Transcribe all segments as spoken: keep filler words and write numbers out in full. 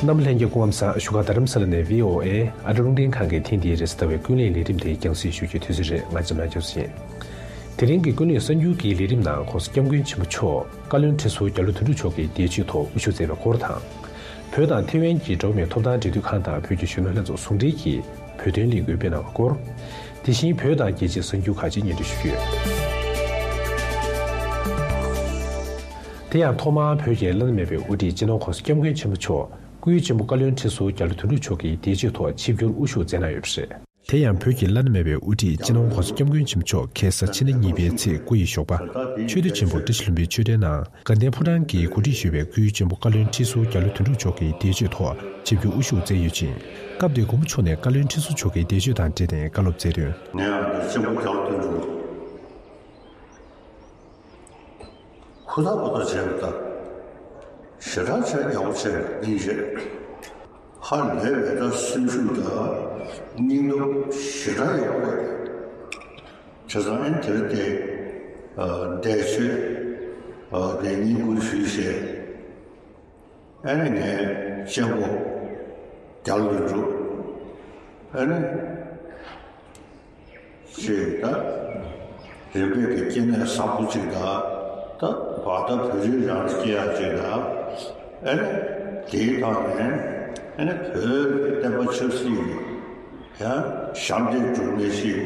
རྣམ་པ་ལྷན་རྒྱས་སྐུ་ཁམས་བཟང་། བཞུགས་སྒར་རྡ་རམ་ས་ལ་ནས་བྷི་ཨོ་ཨེ་ཨ་རི་རླུང་འཕྲིན་ཁང་གི་ཐེངས་འདིའི་རེས་གཟའ་ཟླ་བའི་ཀུན་གླེང་ལས་རིམ་དེ་རྒྱང་སྲིང་ཞུ་རྒྱུའི་དུས་ཚོད་རེད། ང་འཇམ་དབྱངས་སྐྱབས་སུ་ཡིན། དེ་རིང་གི་ཀུན་གླེང་གསར་འགྱུར་གྱི་ལས་རིམ་ནང་༸གོང་ས་༸སྐྱབས་མགོན་ཆེན་པོ་མཆོག་བཀའ་བློན་ཁྲི་ཟུར་རྒྱ་ལོ་དོན་གྲུབ་མཆོག་གི་འདས་མཆོད་ཐོག་དབུ་བཞུགས་མཛད་པའི་སྐོར་དང་། བོད་དང་ཐེ་ཝན་གྱི་འགྲོ་བ་མིའི་ཐོབ་ཐང་འབྲེལ་མཐུད་ཁང་དང་བོད་ཀྱི་གཞོན་ནུ་ལྷན་ཚོགས་ཟུང་འབྲེལ་གྱིས་བོད་དོན་ལས་འགུལ་སྤེལ་གནང་བའི་སྐོར། དེ་བཞིན་བོད་དང་རྒྱལ་སྤྱིའི་གསར་འགྱུར་ཁག་ཅིག་སྙན་སྒྲོན་ཞུ་རྒྱུ་ཡོད། དེ་ཡང་ཐོག་མར་བོད་ཀྱི་བླ་ན་མེད་པའི་དབུ་ཁྲིད་སྤྱི་ནོར་༸གོང་ས་༸སྐྱབས་མགོན་ཆེན་པོ་མཆོག་སྐུའི་གཅེན་པོ་བཀའ་བློན་ཁྲི་ཟུར་རྒྱ་ལོ་དོན་གྲུབ་མཆོག་གི་འདས་མཆོད་ཐོག་ཆིབས་བསྒྱུར་དབུ་བཞུགས་མཛད་གནང་ཡོད་པ་རེད། དེ་ཡང་བོད་ཀྱི་བླ་ན་མེད་པའི་དབུ་ཁྲིད་སྤྱི་ནོར་༸གོང་ས་༸སྐྱབས་མགོན་ཆེན་པོ་མཆོག་ཁ་སང་ཕྱི་ཟླ་གཉིས་པའི་ཚེས་དགུ་ཡི་ཞོགས་པ་ཆོས་སྡེ་ཆེན་པོ་བཀྲ་ཤིས་ལྷུན་པོའི་ཆོས་སྡེའི་ནང་དགའ་ལྡན་ཕོ་བྲང་གིས་གོ་སྒྲིག་ཞུས་པའི་སྐུའི་གཅེན་པོ་བཀའ་བློན་ཁྲི་ཟུར་རྒྱ་ལོ་དོན་གྲུབ་མཆོག་གི་འདས་མཆོད་ཐོག་ཆིབས་བསྒྱུར་དབུ་བཞུགས་མཛད་ཡོད་ཅིང་། སྐབས་དེར་མགོན་པོ་མཆོག་ནས་བཀའ་བློན་ཁྲི་ཟུར་མཆོག་གི་འདས་མཆོད་དང་འབྲེལ་ནས་བཀའ་སློབ་སྩལ་དོན། ངས་ཨ་ནི་གཅེན་པོ་རྒྱ་ལོ་དོན་གྲུབ། ཧུར་ཐག་པ་ཐག་བྱས་པ་དང་། ཞེ་དྲག་བྱས་ཡག་པོ་བྱས་ཡིན་རེད། ཧ་ལས་པའི་ད་སེམས་ཤུགས་དང་སྙིང་སྟོབས་ཞེ་དྲག་ཡག་པོ་རེད། བྱས་ཙང་ཨེ་དེར་དེ་འདས་མཆོད་དེ་བསྙེན་བཀུར་ཞུས་བྱས། ཨ་ནི་ངའི་གཅེན་པོ་རྒྱ་ལོ་དོན་གྲུབ། ཨ་ནི་ཅེས་ད་རིམ་པས་ཀྱི་སྐྱེ་གནས་བཟང་པོ་ཅིག་དང་། ད་བར་ད་བོད་རིགས་རང་ལ་སྐྱེ་ཡག་ཅིག་དང་། ཨ་ནི་དེའི་ཐོག་ནས་ཨ་ནི་བོད་ཀྱི་བསྟན་པ་ཆབ་སྲིད་ཀྱི་ཡང་ཞབས་འདེགས་སྒྲུབ་མཁན་ཞིག་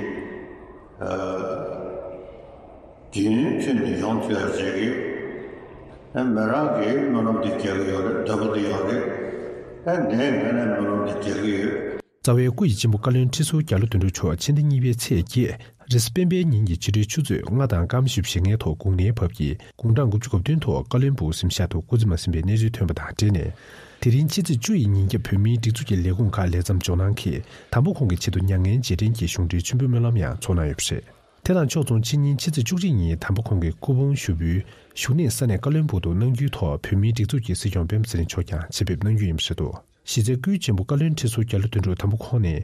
ཨ། དེ་ནས་ཁྱོད་ནས་ཡོང་ཐུབ་ཡ་ཅིག་གིས། ཨ་མི་རང་གིས་སྨོན་ལམ་དེ་རྒྱག་གི་ཡོད་རེད། འདོད་པ་དེ་ཡོད་རེད། ཨ་ངས་ངས་ནས་སྨོན་ལམ་དེ་རྒྱག་གི་ཡོད། རྩ་བའི་སྐུ་ཡི་གཅེན་པོ་བཀའ་བློན་ཁྲི་ཟུར་རྒྱ་ལོ་དོན་གྲུབ་མཆོག་ཕྱི་ཟླ་གཉིས་པའི་ཚེས་བརྒྱད་རེས་གཟའ་སྤེན་པའི་ཉིན་གྱི་ཕྱི་དྲོའི་ཆུ་ཚོད་ལྔ་དང་སྐར་མ་བཞི་བཅུ་ཞེ་ལྔའི་ཐོག་དགུང་ལོའི་བབས་ཀྱིས་དགུང་གྲངས་དགུ་བཅུ་གོ་བདུན་ཐོག་བཀའ་བློན་སྦུག་གཟིམ་ཤག་ཏུ་སྐུ་ཚེ་མ་ཟིན་པའི་གནས་ཚུལ་ཐོན་པ་དང་འབྲེལ་ནས། དེ་རིང་ཕྱི་ཚེས་བཅུ་ཡི་ཉིན་རྒྱབ་བོད་མིའི་སྒྲིག་འཛུགས་ཀྱི་ལས་ཁུངས་ཁག་ལས་མཚམས་འཇོག་གནང་གིས། དང་པོ་ཁོང་གི་ཆེད་དུ་མྱ་ངན་རྗེས་དྲན་གྱི་གཞུང་འབྲེལ་མཆོད་འབུལ་སྨོན་ལམ་ཡང་ཚོགས་གནང་ཡོད་པ་རེད། དེ་དང་ཕྱོགས་མཚུངས་ཕྱི་ཉིན་ཕྱི་ཚེས་བཅུ་གཅིག་ཉིན་དམ་པ་ཁོང་གི་སྐུ་ཕུང་ཞུགས་འབུལ་བཞུགས་གནས་ས་གནས་བཀའ་བློན་སྦུག་ཏུ་གནང་རྒྱུའི་ཐོག་བོད་མིའི་སྒྲིག་འཛུགས་ཀྱི་སྲིད་སྐྱོང་སྤེན་པ་ཚེ་རིང་མཆོག་ཀྱང་ཆེད་ཕེབས་གནང་རྒྱུ་ཡིན་པ་རེད་འདུག་གཞི་རྩའི་སྐུའི་གཅེན་པོ་བཀའ་བློན་ཁྲི་ཟུར་རྒྱ་ལོ་དོན་གྲུབ་དམ་པ་ཁོང་ནི་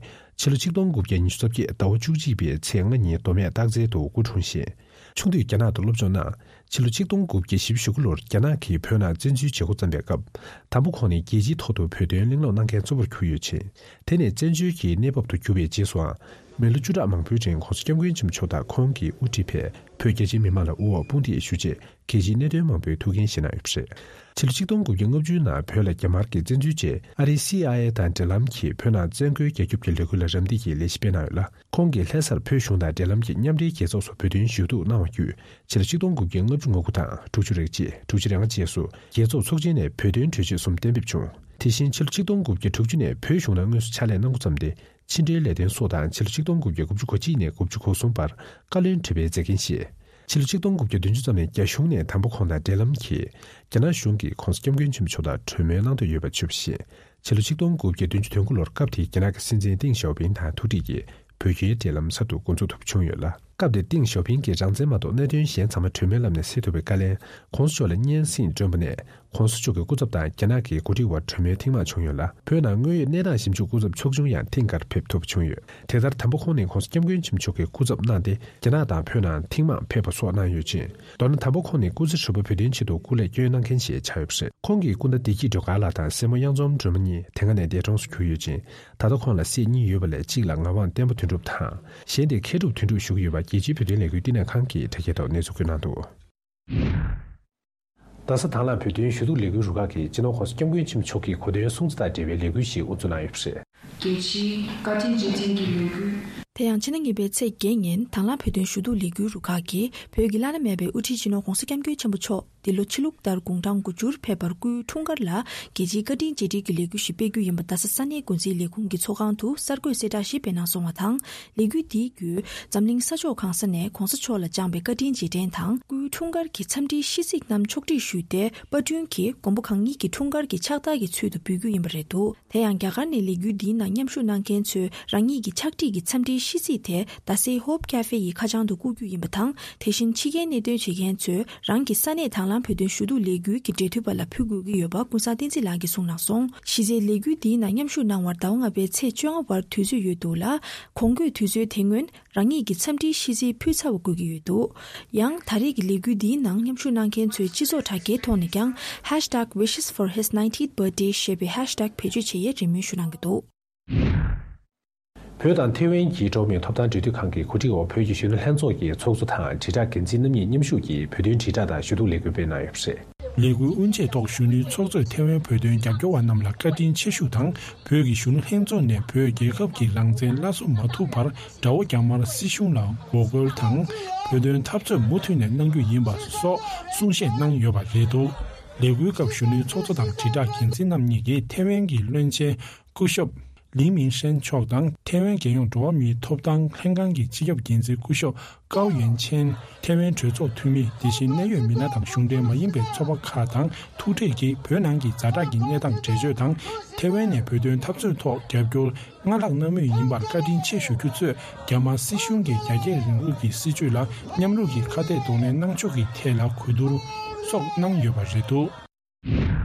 ཕྱི་ལོ་ཆིག་སྟོང་དགུ་བརྒྱ་ཉི་ཤུ་རྩ་བརྒྱད་ཟླ་བ་བཅུ་གཅིག་པའི་ཚེས་ལྔ་ཉིན་མདོ་སྨད་སྟག་རྩེ་དུ་སྐུ་འཁྲུངས་ཤིང་། ཆུང་དུས་རྒྱ་ནག་ཏུ་སློབ་སྦྱོང་གནང་། ཕྱི་ལོ་ཆིག་སྟོང་དགུ་བརྒྱ་བཞི་བཅུ་ཞེ་དགུ་ལོར་རྒྱ་ནག་གིས་བོད་ནང་བཙན་འཛུལ་བྱེད་འགོ་བརྩམས་པའི་སྐབས། དམ་པ་ཁོང་ནི་རྒྱལ་སྤྱིའི་ཐོག་ཏུ་བོད་དོན་གླེང་སློང་གནང་མཁན་གཙོ་བོར་གྱུར་ཡོད་ཅིང་། དེ་ནས་བཙན་བྱོལ་གྱི་གནས་བབ་ཏུ་གྱུར་པའི་རྗེས་སུའང་། མི་ལོ་བཅུ་ཕྲག་མང་པོའི་རིང་༸གོང་ས་༸སྐྱབས་མགོན་ཆེན་པོ་མཆོག་དང་ཁོང་གིས་དབུ་ཁྲིད་པའི་བོད་རྒྱ་ཆེའི་མི་མང་ལ་དབུ་འོག་དཔུང་སྡེ་ཞུ་ཆེད་རྒྱལ་སྤྱིའི་གནད་དོན་མང་པོའི་ཐུགས་འགན་བཞེས་གནང་ཡོད་པ་རེད། ཕྱི་ལོ་ཆིག་སྟོང་དགུ་བརྒྱ་ལྔ་བཅུ་ནང་བོད་ལ་རྒྱ་དམར་གྱིས་བཙན་འཛུལ་རྗེས་ཨ་རིའི་སི་ཨའི་ཨེ་དང་འབྲེལ་ལམ་གྱིས་བོད་ནང་བཙན་རྒོལ་རྒྱག་རྒྱུ་གི་ལས་འགུལ་ལ་རམ་འདེགས་ཀྱི་ལས་གཞི་སྤེལ་གནང་ཡོད་ལ། ཁོང་གིས་ལྷ་སར་བོད་གཞུང་དང་འབྲེལ་ལམ་གྱི་མཉམ་འབྲེལ་རྒྱལ་ཚོགས་སུ་བོད་དོན་ཞུ་གཏུག་གནང་བ་བརྒྱུད། ཕྱི་ལོ་ཆིག་སྟོང་དགུ་བརྒྱ་ལྔ་བཅུ་ང་དགུ་དང་དྲུག་ཅུ་རེ་གཅིག་དྲུག་ཅུ་རེ་ལྔ་བཅས་སུ་རྒྱལ་ཚོགས་ཚོགས་ཆེན་ནས་བོད་དོན་གྲོས་ཆོད་གསུམ་གཏན་འབེབས་བྱུང་། དེ་བཞིན་ཕྱི་ལོ་ཆིག་སྟོང་དགུ་བརྒྱ་དྲུག་ཅུ་ནས་བོད་གཞུང་ནང་དངོས་སུ་ཕྱག་ལས་གནང་འགོ་བརྩམས་ཏེ། ཕྱི་འབྲེལ་ལས་དོན་སོགས་དང་ཕྱི་ལོ་ཆིག་སྟོང་དགུ་བརྒྱ་དགུ་བཅུ་གོ་གཅིག་ནས་དགུ་བཅུ་གོ་གསུམ་བར་བཀའ་བློན་ཁྲི་པའི་མཛད་འགན་བཞེས། ཕྱི་ལོ་ཆིག་སྟོང་དགུ་བརྒྱ་བདུན་ཅུ་ཙམ་ནས་རྒྱ་གཞུང་ནས་དམ་པ་ཁོང་དང་འབྲེལ་ལམ་གྱིས། རྒྱ་ནག་གཞུང་གིས་༸གོང་ས་༸སྐྱབས་མགོན་ཆེན་པོ་མཆོག་དང་གྲོས་མོལ་གནང་འདོད་ཡོད་པ་བརྗོད་པ་བཞིན། ཕྱི་ལོ་ཆིག་སྟོང་དགུ་བརྒྱ་བདུན་ཅུ་དོན་དགུ་ལོར་སྐབས་དེའི་རྒྱ་ནག་གི་སྲིད་འཛིན་ཏེང་ཞའོ་ཕིང་དང་ཐུག་འཕྲད་ཀྱིས་བོད་རྒྱའི་འབྲེལ་ལམ་གསར་དུ་འགོ་འཛུགས་ཐུབ་པ་བྱུང་ཡོད་ལ། སྐབས་དེར་ཏེང་ཞའོ་ཕིང་གིས་རང་བཙན་མ་གཏོགས་གནད་དོན་གཞན་ཚང་མ་གྲོས་མོལ་ལམ་ནས་སེལ་ཐུབ་པའི་བཀའ་ལན་༸གོང་ས་མཆོག་ལ་སྙན་སེང་བསྐྱོན་པ་ནས། ༸གོང་ས་མཆོག་གི་སྐུ་ཚབ་དང་རྒྱ་ནག་གི་འགོ་ཁྲིད་དབར་གྲོས་མོལ་ཐེངས་མང་བྱུང་ཡོད་ལ། བོད་ནང་དངོས་ཡོད་གནས་སྟངས་ཞིབ་འཇུག་སྐུ་ཚབ་ཕྱོགས་བཅུ་ཡང་ཐེངས་འགར་ཕེབས་ཐུབ་པ་བྱུང་ཡོད། དེ་ལྟར་དམ་པ་ཁོང་ནི་༸གོང་ས་༸སྐྱབས་མགོན་ཆེན་པོ་མཆོག་གི་སྐུ་ཚབ་གནང་སྟེ། རྒྱ་ནག་དང་བོད་ནང་ཐེངས་མང་ཕེབས་པ་སོགས་གནང་ཡོད་ཅིང་། མདོར་ན་དམ་པ་ཁོང་ནི་སྐུ་ཚེ་ཧྲིལ་པོ་བོད་དོན་ཆེད་དུ་སྐུ་ལས་བསྐྱོན་གནང་མཁན་ཞིག་ཆགས་ཡོད་པ་རེད། ཁོང་གི་སྐུ་ཟླ་བདེ་སྐྱིད་སྒྲོལ་དཀར་ལགས་དང་སྲས་མོ་གཡང་འཛོམས་སྒྲོལ་མ་གཉིས་དེ་སྔ་ནས་འདས་གྲོངས་སུ་གྱུར་ཡོད་ཅིང་། ད་ལྟ་ཁོང་ལ་སྲས་གཉིས་ཡོད་པ་ལས་གཅིག་ལ་ངག་དབང་བསྟན་པ་དོན་གྲུབ་དང་། གཞན་དེ་མཁས་གྲུབ་དོན་གྲུབ་ཞུ་གི་ཡོད་པ་རྒྱལ་སྤྱིའི་བོད་དོན་ལས་འགུལ་བསྟི་གནས་ཁང་གིས་དྲ་རྒྱའི་ཐོག་གནས་ཚུལ་བཀོད་གནང་འདུག་རྡ་ས་དང་བླངས་བོད་དོན་ཞུ་གཏུག་ལས་འགུལ་རུ་ཁག་གིས་སྤྱི་ནོར་༸གོང་ས་༸སྐྱབས་མགོན་ཆེན་པོ་མཆོག་གི་གོ་སྟོན་སྲུང་བརྩི་དང་འབྲེལ་བའི་ལས་འགུལ་ཞིག་དབུ་འཛུགས་གནང་ཡོད་པ་རེད། རྒྱལ་སྤྱིའི་བཀའ་དྲིན་རྗེས་དྲན་གྱི་ལས་འགུལ། དེ་ཡང་ཕྱི་ཟླ་གཉིས་པའི་ཚེས་བརྒྱད་ཉིན་དང་བླངས་བོད་དོན་ཞུ་གཏུག་ལས་འགུལ་རུ་ཁག་གིས་བོད་ཀྱི་བླ་ན་མེད་པའི་དབུ་ཁྲིད་སྤྱི་ནོར་༸གོང་ས་༸སྐྱབས་མགོན་ཆེན་པོ་མཆོག་འདི་ལོ་ཕྱི་ལུགས་ལྟར་དགུང་གྲངས་དགུ་བཅུར་ཕེབས་པར་སྐུའི་འཁྲུངས་སྐར་ལ་རྒྱལ་སྤྱིའི་བཀའ་དྲིན་རྗེས་དྲན་གྱི་ལས་འགུལ་ཞིག་སྤེལ་རྒྱུ་ཡིན་པ་རྡ་ས་ས་གནས་འགོ་འཛིན་ལས་ཁུངས་ཀྱི་ཚོགས་ཁང་དུ་གསར་འགོད་གསལ་བསྒྲགས་ཤིག་སྤེལ་གནང་སོང་བ་དང་། ལས་འགུལ་འདིའི་བརྒྱུད་འཛམ་གླིང་ས་ཕྱོགས་གང་ས་ནས་༸གོང་ས་མཆོག་ལ་བཅངས་པའི་བཀའ་དྲིན་རྗེས་དྲན་དང་། སྐུའི་འཁྲུངས་སྐར་གྱི་འཚམས་འདྲིའི་ཤིས་ཚིག་རྣམས་ཕྱོགས་སྒྲིག་ཞུས་ཏེ། པར་སྐྲུན་གྱིས་མགོན་པོ་གང་ཉིད་ཀྱི་འཁྲུངས་སྐར་གྱི་ཚུལ་དུ་འབུལ་རྒྱུ་ཡིན་པ་རེད་འདུག་དེ་ཡང་རྒྱ་གར་ནས་ལས་འགུལ་འདིའི་ནང་མཉམ་ཞུགས་གནང་མཁན་ཚོས་རང་ཉིད་ཀྱི་ཕྱག་བྲིས་ཀྱི་འཚམས་འདྲིའི་ཤིས་ཚིག་དེ་རྡ་སའི་ཧོབ་ཀ་ཧྥེ་ཡི་ཁ་བྱང་དུ་བསྐུར་རྒྱུ་ཡིན་པ་དང་། དེ་བཞིན་ཕྱི་རྒྱལ་གནད་དོན་བྱེད་མཁན་ཚོས་རང་གི་ས་གནས་དང་། ནང་བོད་དོན་ཞུ་གཏུག་ལས་འགུལ་གྱི་འབྲེལ་མཐུད་པ་ལ་ཕུལ་དགོས་ཀྱི་ཡོད་པ་ཀུན་བཟང་བསྟན་འཛིན་ལགས་ཀྱིས་གསུངས་གནང་སོང་། གཞི་རྩའི་ལས་འགུལ་འདིའི་ནང་མཉམ་ཞུགས་གནང་བར་ཟླ་བ་ལྔ་པའི་ཚེས་བཅོ་ལྔ་བར་དུས་ཚོད་ཡོད་འདུག་ལ། གོང་འཁོད་དུས་ཚོད་དེ་སྔོན་རང་ཉིད་ཀྱི་འཚམས་འདྲིའི་ཤིས་ཚིག་ཕུལ་ཚར་བ་དགོས་ཀྱི་ཡོད་འདུག། ཡང་ད་རེས་ཀྱི་ལས་འགུལ་འདིའི་ནང་མཉམ་ཞུགས་གནང་མཁན་ཚོས་སྤྱི་ཚོགས་དྲ་རྒྱའི་ཐོག་ནས་ཀྱང་ཧེཤ་ཊེག་wishes for his ninetieth birthday ཞེས་པའི་ཧེཤ་ཊེག་བེད་སྤྱོད་བྱེད་ཡས་རེ་སྨོན་ཞུ་གནང་གི་འདུག། བོད་དང་ཐེ་ཝན་གྱི་འགྲོ་བ་མིའི་ཐོབ་ཐང་འབྲེལ་མཐུད་ཁང་གི་གོ་སྒྲིག་འོག་བོད་ཀྱི་གཞོན་ནུ་ལྷན་ཚོགས་ཀྱི་ཚོགས་གཙོ་དང་དྲིལ་བསྒྲགས་འགན་འཛིན་རྣམ་གཉིས་མཉམ་ཞུགས་ཀྱིས་བོད་དོན་དྲིལ་བསྒྲགས་དང་ཞུ་གཏུག་ལས་འགུལ་སྤེལ་གནང་ཡོད་པ་རེད། ལས་འགུལ་དབུ་འབྱེད་ཐོག་གཞོན་ནུའི་ཚོགས་གཙོས་ཐེ་ཝན་བོད་དོན་རྒྱབ་སྐྱོར་བ་རྣམས་ལ་བཀའ་དྲིན་ཆེ་ཞུ་དང་། བོད་ཀྱི་གཞོན་ནུ་ལྷན་ཚོགས་ནས་བོད་རྒྱལ་ཁབ་ཀྱི་རང་བཙན་སླར་གསོ་མ་ཐུབ་བར་དགྲ་བོ་རྒྱ་དམར་སྲིད་གཞུང་ལ་ངོ་རྒོལ་དང་། བོད་དོན་འཐབ་རྩོད་མུ་མཐུད་ནས་གནང་རྒྱུ་ཡིན་པ་སོགས་གསུང་བཤད་གནང་ཡོད་པ་རེད་འདུག། ལས་འགུལ་སྐབས་གཞོན་ནུའི་ཚོགས་གཙོ་དང་དྲིལ་བསྒྲགས་འགན་འཛིན་རྣམ་གཉིས་ཀྱིས་ཐེ་ཝན་གྱི་བློན་ཆེན་སྐུ་ཞབས་ལི་མིང་ཧྲན་མཆོག་དང་། ཐེ་ཝན་རྒྱལ་ཡོངས་འགྲོ་བ་མིའི་ཐོབ་ཐང་ལྷན་ཁང་གི་སྤྱི་ཁྱབ་འགན་འཛིན་སྐུ་ཞབས་ཀའོ་ཡོན་ཆན། ཐེ་ཝན་གྲོས་ཚོགས་འཐུས་མི། དེ་བཞིན་གནད་ཡོད་མི་སྣ་དང་གཞུང་འབྲེལ་མ་ཡིན་པའི་ཚོགས་པ་ཁག་དང་ཐུག་འཕྲད་ཀྱིས་བོད་ནང་གི་ཛ་དྲག་གི་གནས་སྟངས་འགྲེལ་བརྗོད་དང་། ཐེ་ཝན་ནས་བོད་དོན་འཐབ་རྩོད་ཐོག་རྒྱབ་སྐྱོར་སྔར་ལྷག་གནང་མུས་ཡིན་པར་བཀའ་དྲིན་ཆེ་ཞུ་རྒྱུ་གཙོས། རྒྱ་དམར་སྲིད་གཞུང་གི་རྒྱ་སྐྱེད་རིང་ལུགས་ཀྱི་སྲིད་བྱུས་ལ་མཉམ་རུབ་ཀྱིས་ཁ་གཏད་གདོང་ལེན་གནང་ཕྱོགས་ཀྱི་ཐད་ལ་གོ་བསྡུར་སོགས་གནང་ཡོད་པ་རེད་འདུག།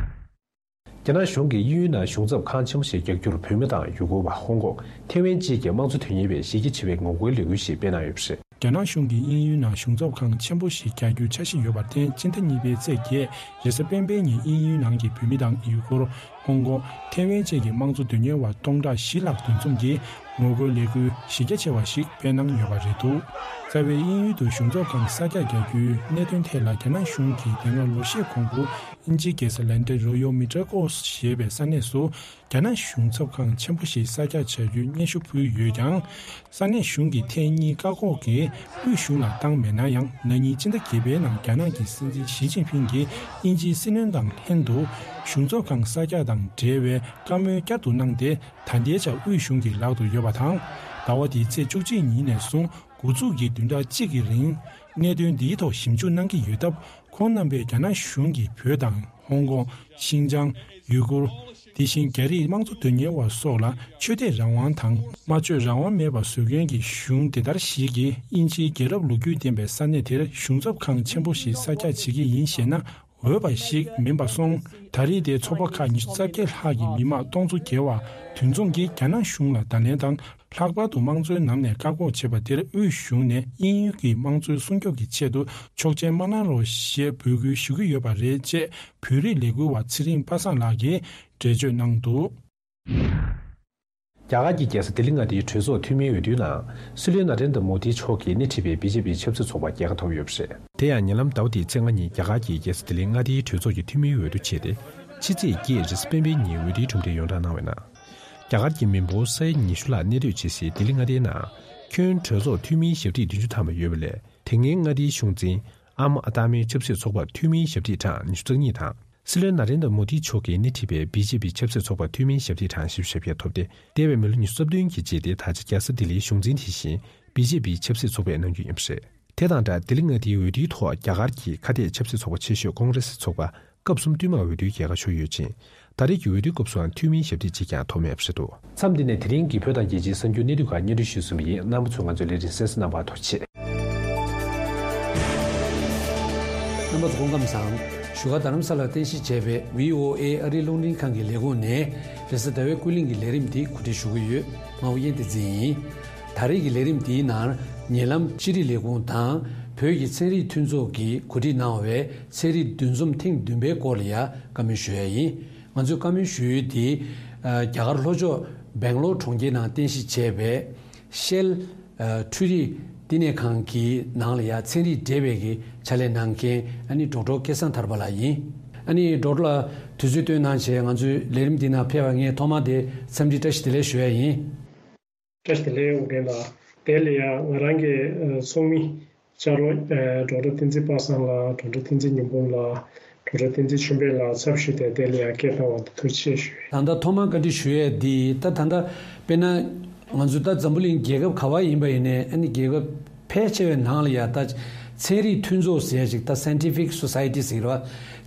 རྒྱ་ནག་གཞུང་གིས་དབྱིན་ཡུལ་ནང་གཞུང་ཚབ་ཁང་ཆེན་པོ་ཞིག་རྒྱག་རྒྱུར་བོད་མི་དང་ཡུ་གུར་བ། ཧོང་ཀོང་། ཐེ་ཝན་བཅས་ཀྱི་དམངས་གཙོ་དོན་གཉེར་བས་གཞི་རྒྱ་ཆེ་བའི་ངོ་རྒོལ་ལས་འགུལ་ཞིག་སྤེལ་གནང་ཡོད་པ་རེད། རྒྱ་ནག་གཞུང་གིས་དབྱིན་ཡུལ་ནང་གཞུང་ཚབ་ཁང་ཆེན་པོ་ཞིག་རྒྱག་རྒྱུའི་འཆར་གཞི་ཡོད་པར་བརྟེན། སྤྱི་ཟླ་གཉིས་པའི་ཚེས་བརྒྱད་རེས་གཟའ་སྤེན་པའི་ཉིན་དབྱིན་ཡུལ་ནང་གི་བོད་མི་དང་ཡུ་གུར། ཧོང་ཀོང་། ཐེ་ཝན་བཅས་ཀྱི་དམངས་གཙོ་དོན་གཉེར་བ་སྟོང་ཕྲག་བཞི་ལྷག་འདུ་འཛོམས་ཀྱིས་ངོ་རྒོལ་ལས་འགུལ་གཞི་རྒྱ་ཆེ་བ་ཞིག་སྤེལ་གནང་ཡོད་པ་རེད་འདུག། རྩ་བའི་དབྱིན་ཡུལ་དུ་གཞུང་ཚབ་ཁང་གསར་རྒྱག་རྒྱག་རྒྱུའི་གནད་དོན་ཐད་ལ། རྒྱ་ནག་གཞུང་གིས་དེ་སྔ་ལོ་ཤས་གོང་དུ་དབྱིན་ཇིའི་རྒྱལ་ས་ལན་ཀྲན་རོ་ཡོལ་མི་ཏྲ་ཀོ་ཞེས་པའི་ས་གནས་སུ་རྒྱ་ནག་གཞུང་ཚབ་ཁང་ཆེན་པོ་ཞིག་གསར་རྒྱག་བྱ་རྒྱུའི་སྙན་ཞུ་ཕུལ་ཡོད་ཀྱང་། ས་གནས་གཞུང་གིས་ཐེངས་གཉིས་བཀག་འགོག་གིས་དབུས་གཞུང་ལ་བཏང་མེད་ན་ཡང་། ན་ནིང་སྤྱི་ཟླ་བརྒྱད་པའི་ནང་རྒྱ་ནག་གི་སྲིད་འཛིན་ཞི་ཅིན་ཕིང་གིས་དབྱིན་ཇིའི་སྲིད་བློན་དང་ལྷན་དུ་གཞུང་ཚབ་ཁང་གསར་རྒྱག་དང་འབྲེལ་བའི་བཀའ་མོལ་བསྐྱར་དུ་གནང་སྟེ། ད་ལྟའི་ཆར་དབུས་གཞུང་གི་ལག་ཏུ་ཡོད་པ་དང་། ཟླ་བ་འདིའི་ཚེས་བཅུ་གཅིག་ཉིན་ནས་བཟུང་འགོ་འཛུགས་ཀྱིས་བདུན་ཕྲག་གཅིག་གི་རིང་གནད་དོན་འདིའི་ཐོག་ཞིབ་འཇུག་གནང་གི་ཡོད་སྟབས། ཁོང་རྣམ་པས་རྒྱ་ནག་གཞུང་གིས་བོད་དང་ཧོང་ཀོང་། ཤིན་ཅང་། ཡུ་གུར། དེ་བཞིན་རྒྱ་རིགས་དམངས་གཙོ་དོན་གཉེར་བ་སོགས་ལ་ཆོས་དད་རང་དབང་དང་། སྨྲ་བརྗོད་རང་དབང་མེད་པར་བཟོ་མཁན་གྱི་གཞུང་དེ་ལྟར་ཞིག་གིས་དབྱིན་ཇིའི་རྒྱལ་རབས་ལོ་རྒྱུས་ལྡན་པའི་ས་གནས་དེར་གཞུང་ཚབ་ཁང་ཆེན་པོ་ཞིག་གསར་རྒྱག་བྱེད་ཀྱི་ཡིན་ཞེ་ན། འོས་པ་ཞིག་མིན་པ་སོང་། ད་རེས་དེའི་ཚོགས་པ་ཁག་ཉི་ཤུ་རྩ་བརྒྱད་ལྷག་གི་མི་མང་སྟོང་ཚོ་བརྒལ་བ་འདུ་འཛོམས་ཀྱིས་རྒྱ་ནག་གཞུང་ལ་བརྡ་ལན་དང་། ལྷག་པར་དུ་དམངས་གཙོའི་ནང་ནས་བཀག་འགོག་བྱས་པ་དེར་དབུས་གཞུང་ནས་དབྱིན་ཡུལ་གྱི་དམངས་གཙོའི་སྲུང་སྐྱོབ་ཀྱི་ཆེད་དུ་ཆོག་མཆན་མ་གནང་རོགས་ཞེས་འབོད་སྐུལ་ཞུ་གི་ཡོད་པ་རེད་ཅེས་བོད་རིགས་ལས་འགུལ་བ་ཚེ་རིང་པ་སངས་ལགས་ཀྱིས་འགྲེལ་བརྗོད་གནང་འདུག། རྒྱ་གར་གྱི་རྒྱལ་ས་ལྡི་ལི་མངའ་སྡེའི་གྲོས་ཚོགས་འཐུས་མིའི་འོས་བསྡུའི་ནང་། སྲིད་བློན་ན་རེན་དྲ་མོ་དི་མཆོག་གིས་སྣེ་ཁྲིད་པའི་བི་ཇེ་པི་ཆབ་སྲིད་ཚོགས་པ་རྒྱལ་ཁ་ཐོབ་ཡོད་པ་རེད། དེ་ཡང་ཉེ་ལམ་ཟླ་བ་འདིའི་ཚེས་ལྔ་ཉིན་རྒྱ་གར་གྱི་རྒྱལ་ས་ལྡི་ལི་མངའ་སྡེའི་གྲོས་ཚོགས་ཀྱི་འཐུས་མིའི་འོས་བསྡུ་བྱས་ཏེ། ཕྱི་ཚེས་བརྒྱད་རེས་གཟའ་སྤེན་པའི་ཉིན་འོས་བསྡུའི་གྲུབ་འབྲས་ཡོངས་བསྒྲགས་གནང་བའི་ནང་། རྒྱ་གར་གྱི་མི་འབོར་ས་ཡ་ཉི་ཤུ་ལྷག་གནས་སྡོད་བྱེད་སའི་ལྡི་ལི་མངའ་སྡེའི་ནང་། ཁྱོན་གྲོས་ཚོགས་འཐུས་མིའི་ཞབས་ཕྱི་བདུན་ཅུ་ཐམ་པ་ཡོད་པ་ལས། དེ་སྔའི་མངའ་སྡེའི་གཞུང་འཛིན་ཨམ་ཨ་ཏཱ་མིའི་ཆབ་སྲིད་ཚོགས་པར་འཐུས་མིའི་ཞབས་ཕྱི་གྲངས་ཉི་ཤུ་རྩ་གཉིས་དང་། སྲིད་བློན་ན་རེན་དྲ་མོ་དི་མཆོག་གིས་སྣེ་ཁྲིད་པའི་བི་ཇེ་པི་ཆབ་སྲིད་ཚོགས་པར་འཐུས་མིའི་ཞབས་ཕྱི་གྲངས་བཞི་བཅུ་ཞེ་བརྒྱད་ཐོབ་སྟེ། འདས་པའི་མི་ལོ་ཉི་ཤུ་རྩ་བདུན་གྱི་རྗེས་ཏེ་ད་ཆ་རྒྱལ་ས་ལྡི་ལིའི་གཞུང་འཛིན་དེ་བཞིན་བི་ཇེ་པི་ཆབ་སྲིད་ཚོགས་པས་གནང་རྒྱུ་ཡིན་པ་རེད། དེ་དང་སྦྲགས་ལྡི་ལི་མངའ་སྡེའི་འོས་བསྡུའི་ཐོག་རྒྱ་གར་གྱི་ཁ་གཏད་ཆབ་སྲིད་ཚོགས་པ་ཆེ་ཤོས་ཀོང་རེ་སི་ཚོགས་པ་སྐབས་གསུམ་བསྟུད་མར་འོས་བསྡུའི་རྒྱལ་ཁ་ཤོར་ཡོད་ཅིང་། ད་རེས་ཀྱི་འོས་བསྡུའི་སྐབས་སུའང་འཐུས་མིའི་ཞབས་སྟེགས་གཅིག་ཀྱང་ཐོབ་མེད་པ་རེད་འདུག། མཚམས་འདི་ནས་དེ་རིང་གི་བོད་དང་རྒྱལ་སྤྱིའི་གསར་འགྱུར་གནད་བསྡུས་ཁག་སྙན་སྒྲོན་ཞུས་ཟིན་པ་ཡིན། རྣམ་པ་ཚོས་ང་ཚོའི་ལས་རིམ་གསན་གཟིགས་གནང་བར་ཐུགས་རྗེ་ཆེ། རྣམ་པ་ཚོ་སྐུ་ཁམས་བཟང་། བཞུགས་སྒར་རྡ་རམ་ས་ལར་རྟེན་གཞི་བྱས་པའི་བྷི་ཨོ་ཨེ་ཨ་རིའི་རླུང་འཕྲིན་ཁང་གི་ལས་ཁུངས་ནས་རེས་གཟའ་ཟླ་བའི་ཀུན་གླེང་གི་ལས་རིམ་འདི་གོ་སྒྲིག་ཞུ་གི་ཡོད། ང་ཨོ་རྒྱན་བསྟན་འཛིན་ཡིན། ད་རེས་ཀྱི་ལས་རིམ་འདིའི་ནང་ཉེ་ལམ་ཕྱི་དྲིལ་ལས་ཁུངས་དང་བོད་ཀྱི་ཚན་རིག་མཐུན་ཚོགས་ཀྱིས་གོ་སྒྲིག་གནང་བའི་ཚན་རིག་འདུ་འཛོམས་ཐེངས་བདུན་པའི་སྐོར་ལ་ཡ་བཀའ་མོལ་ཞུ་ཡ་ཡིན། ང་ཚོས་བཀའ་མོལ་ཞུ་ཡུལ་དེ་རྒྱ་གར་ལྷོ་ཕྱོགས་སྦེང་ལོར་གྲོང་ཁྱེར་ནང་རྟེན་གཞི་བྱས་པའི་ཤེལ་འཕྲུལ་རིག་བསྟི་གནས་ཁང་གི་ནང་ལ་ཡ་ཚན་རིག་འབྲེལ་བའི་གི་ཕྱག་ལས་གནང་མཁན་ཨ་ནི་ཌོག་ཊར་སྐལ་བཟང་ཐར་པ་ལགས་ཡིན། ཨ་ནི་ཌོག་ཊར་ལགས་དུས་ཚོད་བཏོན་གནང་བྱས་ང་ཚོའི་ལས་རིམ་འདི་ནང་ཕེབས་པར་ངས་ཐོག་མར་དེ་འཚམས་འདྲི་བཀྲ་ཤིས་བདེ་ལེགས་ཞུ་ཡ་ཡིན། བཀྲ་ཤིས་བདེ་ལེགས་ཨོ་རྒྱན་ལགས། དེ་ལ་ཡང་ང་རང་གི་ཚོགས་མི་ལྕགས་རོགས་ཌོག་ཊར་བསྟན་འཛིན་པ་སངས་ལགས། ཌོག་ཊར་བསྟན་འཛིན་ཉི་འབུམ་ལགས། ཌོག་ཊར་བསྟན་འཛིན་ཆོས་འཕེལ་ལགས་ཚབ་ཞུས་ཏེ་དེ་ལ་ཡང་སྐད་བཏང་བ་དེ་ཐུགས་རྗེ་ཆེ་ཞུ་ཡས། ད་ལྟ་ཐོག་མར་བཀའ་འདྲི་ཞུ་ཡས་འདི་ད་ད་ལྟ་དཔེར་ན་ང་ཚོ་ད་འཛམ་བུ་གླིང་རྒྱལ་ཁབ་ག་བ་ཡིན་པ་ཡིན་ནའི་ཨ་ནི་རྒྱལ་ཁབ་ཕལ་ཆེ་བའི་ནང་ལ་ཡང་ད་ཚན་རིག་མཐུན་ཚོགས་ཟེར་ཡ་ཅིག་ད་སའེན་ཊི་ཕིག་སོ་སའེ་ཊི་ཟེར་བ་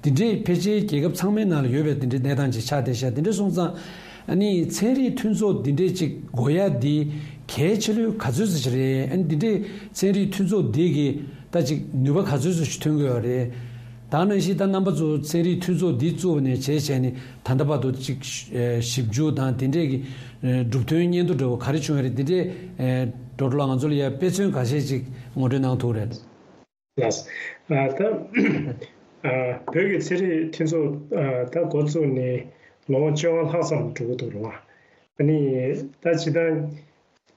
འདི་འདྲའི་ཕལ་ཆེར་རྒྱལ་ཁབ་ཚང་མའི་ནང་ལ་ཡོད་པའི་འདི་འདྲའི་གནས་སྟངས་ཅིག་ཆགས་བསྡད་ཤག། འདི་འདྲ་སོང་ཙང་ཨ་ནི་ཚན་རིག་མཐུན་ཚོགས་འདི་འདྲའི་ཅིག་དགོས་ཡ་འདི་གལ་ཆེ་ལོས་ག་ཚོད་ཙམ་ཞིག་རེད། ཨ་ནི་འདི་འདྲའི་ཚན་རིག་མཐུན་ཚོགས་འདི་གི་ད་ཅིག་ནུས་པ་ག་ཚོད་ཙམ་ཞིག་ཐོན་གི་ཡོད་རེད། ད་ནང་བཞིན་ད་རྣམ་པ་ཚོ་ཚན་རིག་མཐུན་ཚོགས་འདི་བཙུགས་པ་ནས་བྱས་བྱས་ནས་ད་ལྟ་བར་དུ་ཅིག་ཞིབ་འཇུག་དང་དེ་འདྲས་ཀྱི་གྲུབ་དོན་སྙན་ཐོ་འདྲ་བོ་ག་རེ་བྱུང་ཡོད་རེད། དེ་འདྲས་ཌོག་ཊར་ལགས་ང་ཚོ་ལ་ཡ་དཔེ་མཚོན་ཁ་ཤས་ཅིག་ངོ་སྤྲོད་གནང་ཐུབ་རེད། ལགས། ད་བོད་ཀྱི་ཚན་རིག་མཐུན་ཚོགས་ད་འགོ་བཙུགས་ནས་ལོ་ངོ་བཅོ་ལྔ་ལྷག་ཙམ་འགྲོ་གི་འདུག་རེད་བ། ཨ་ནི་ད་ཇི་ལྟར་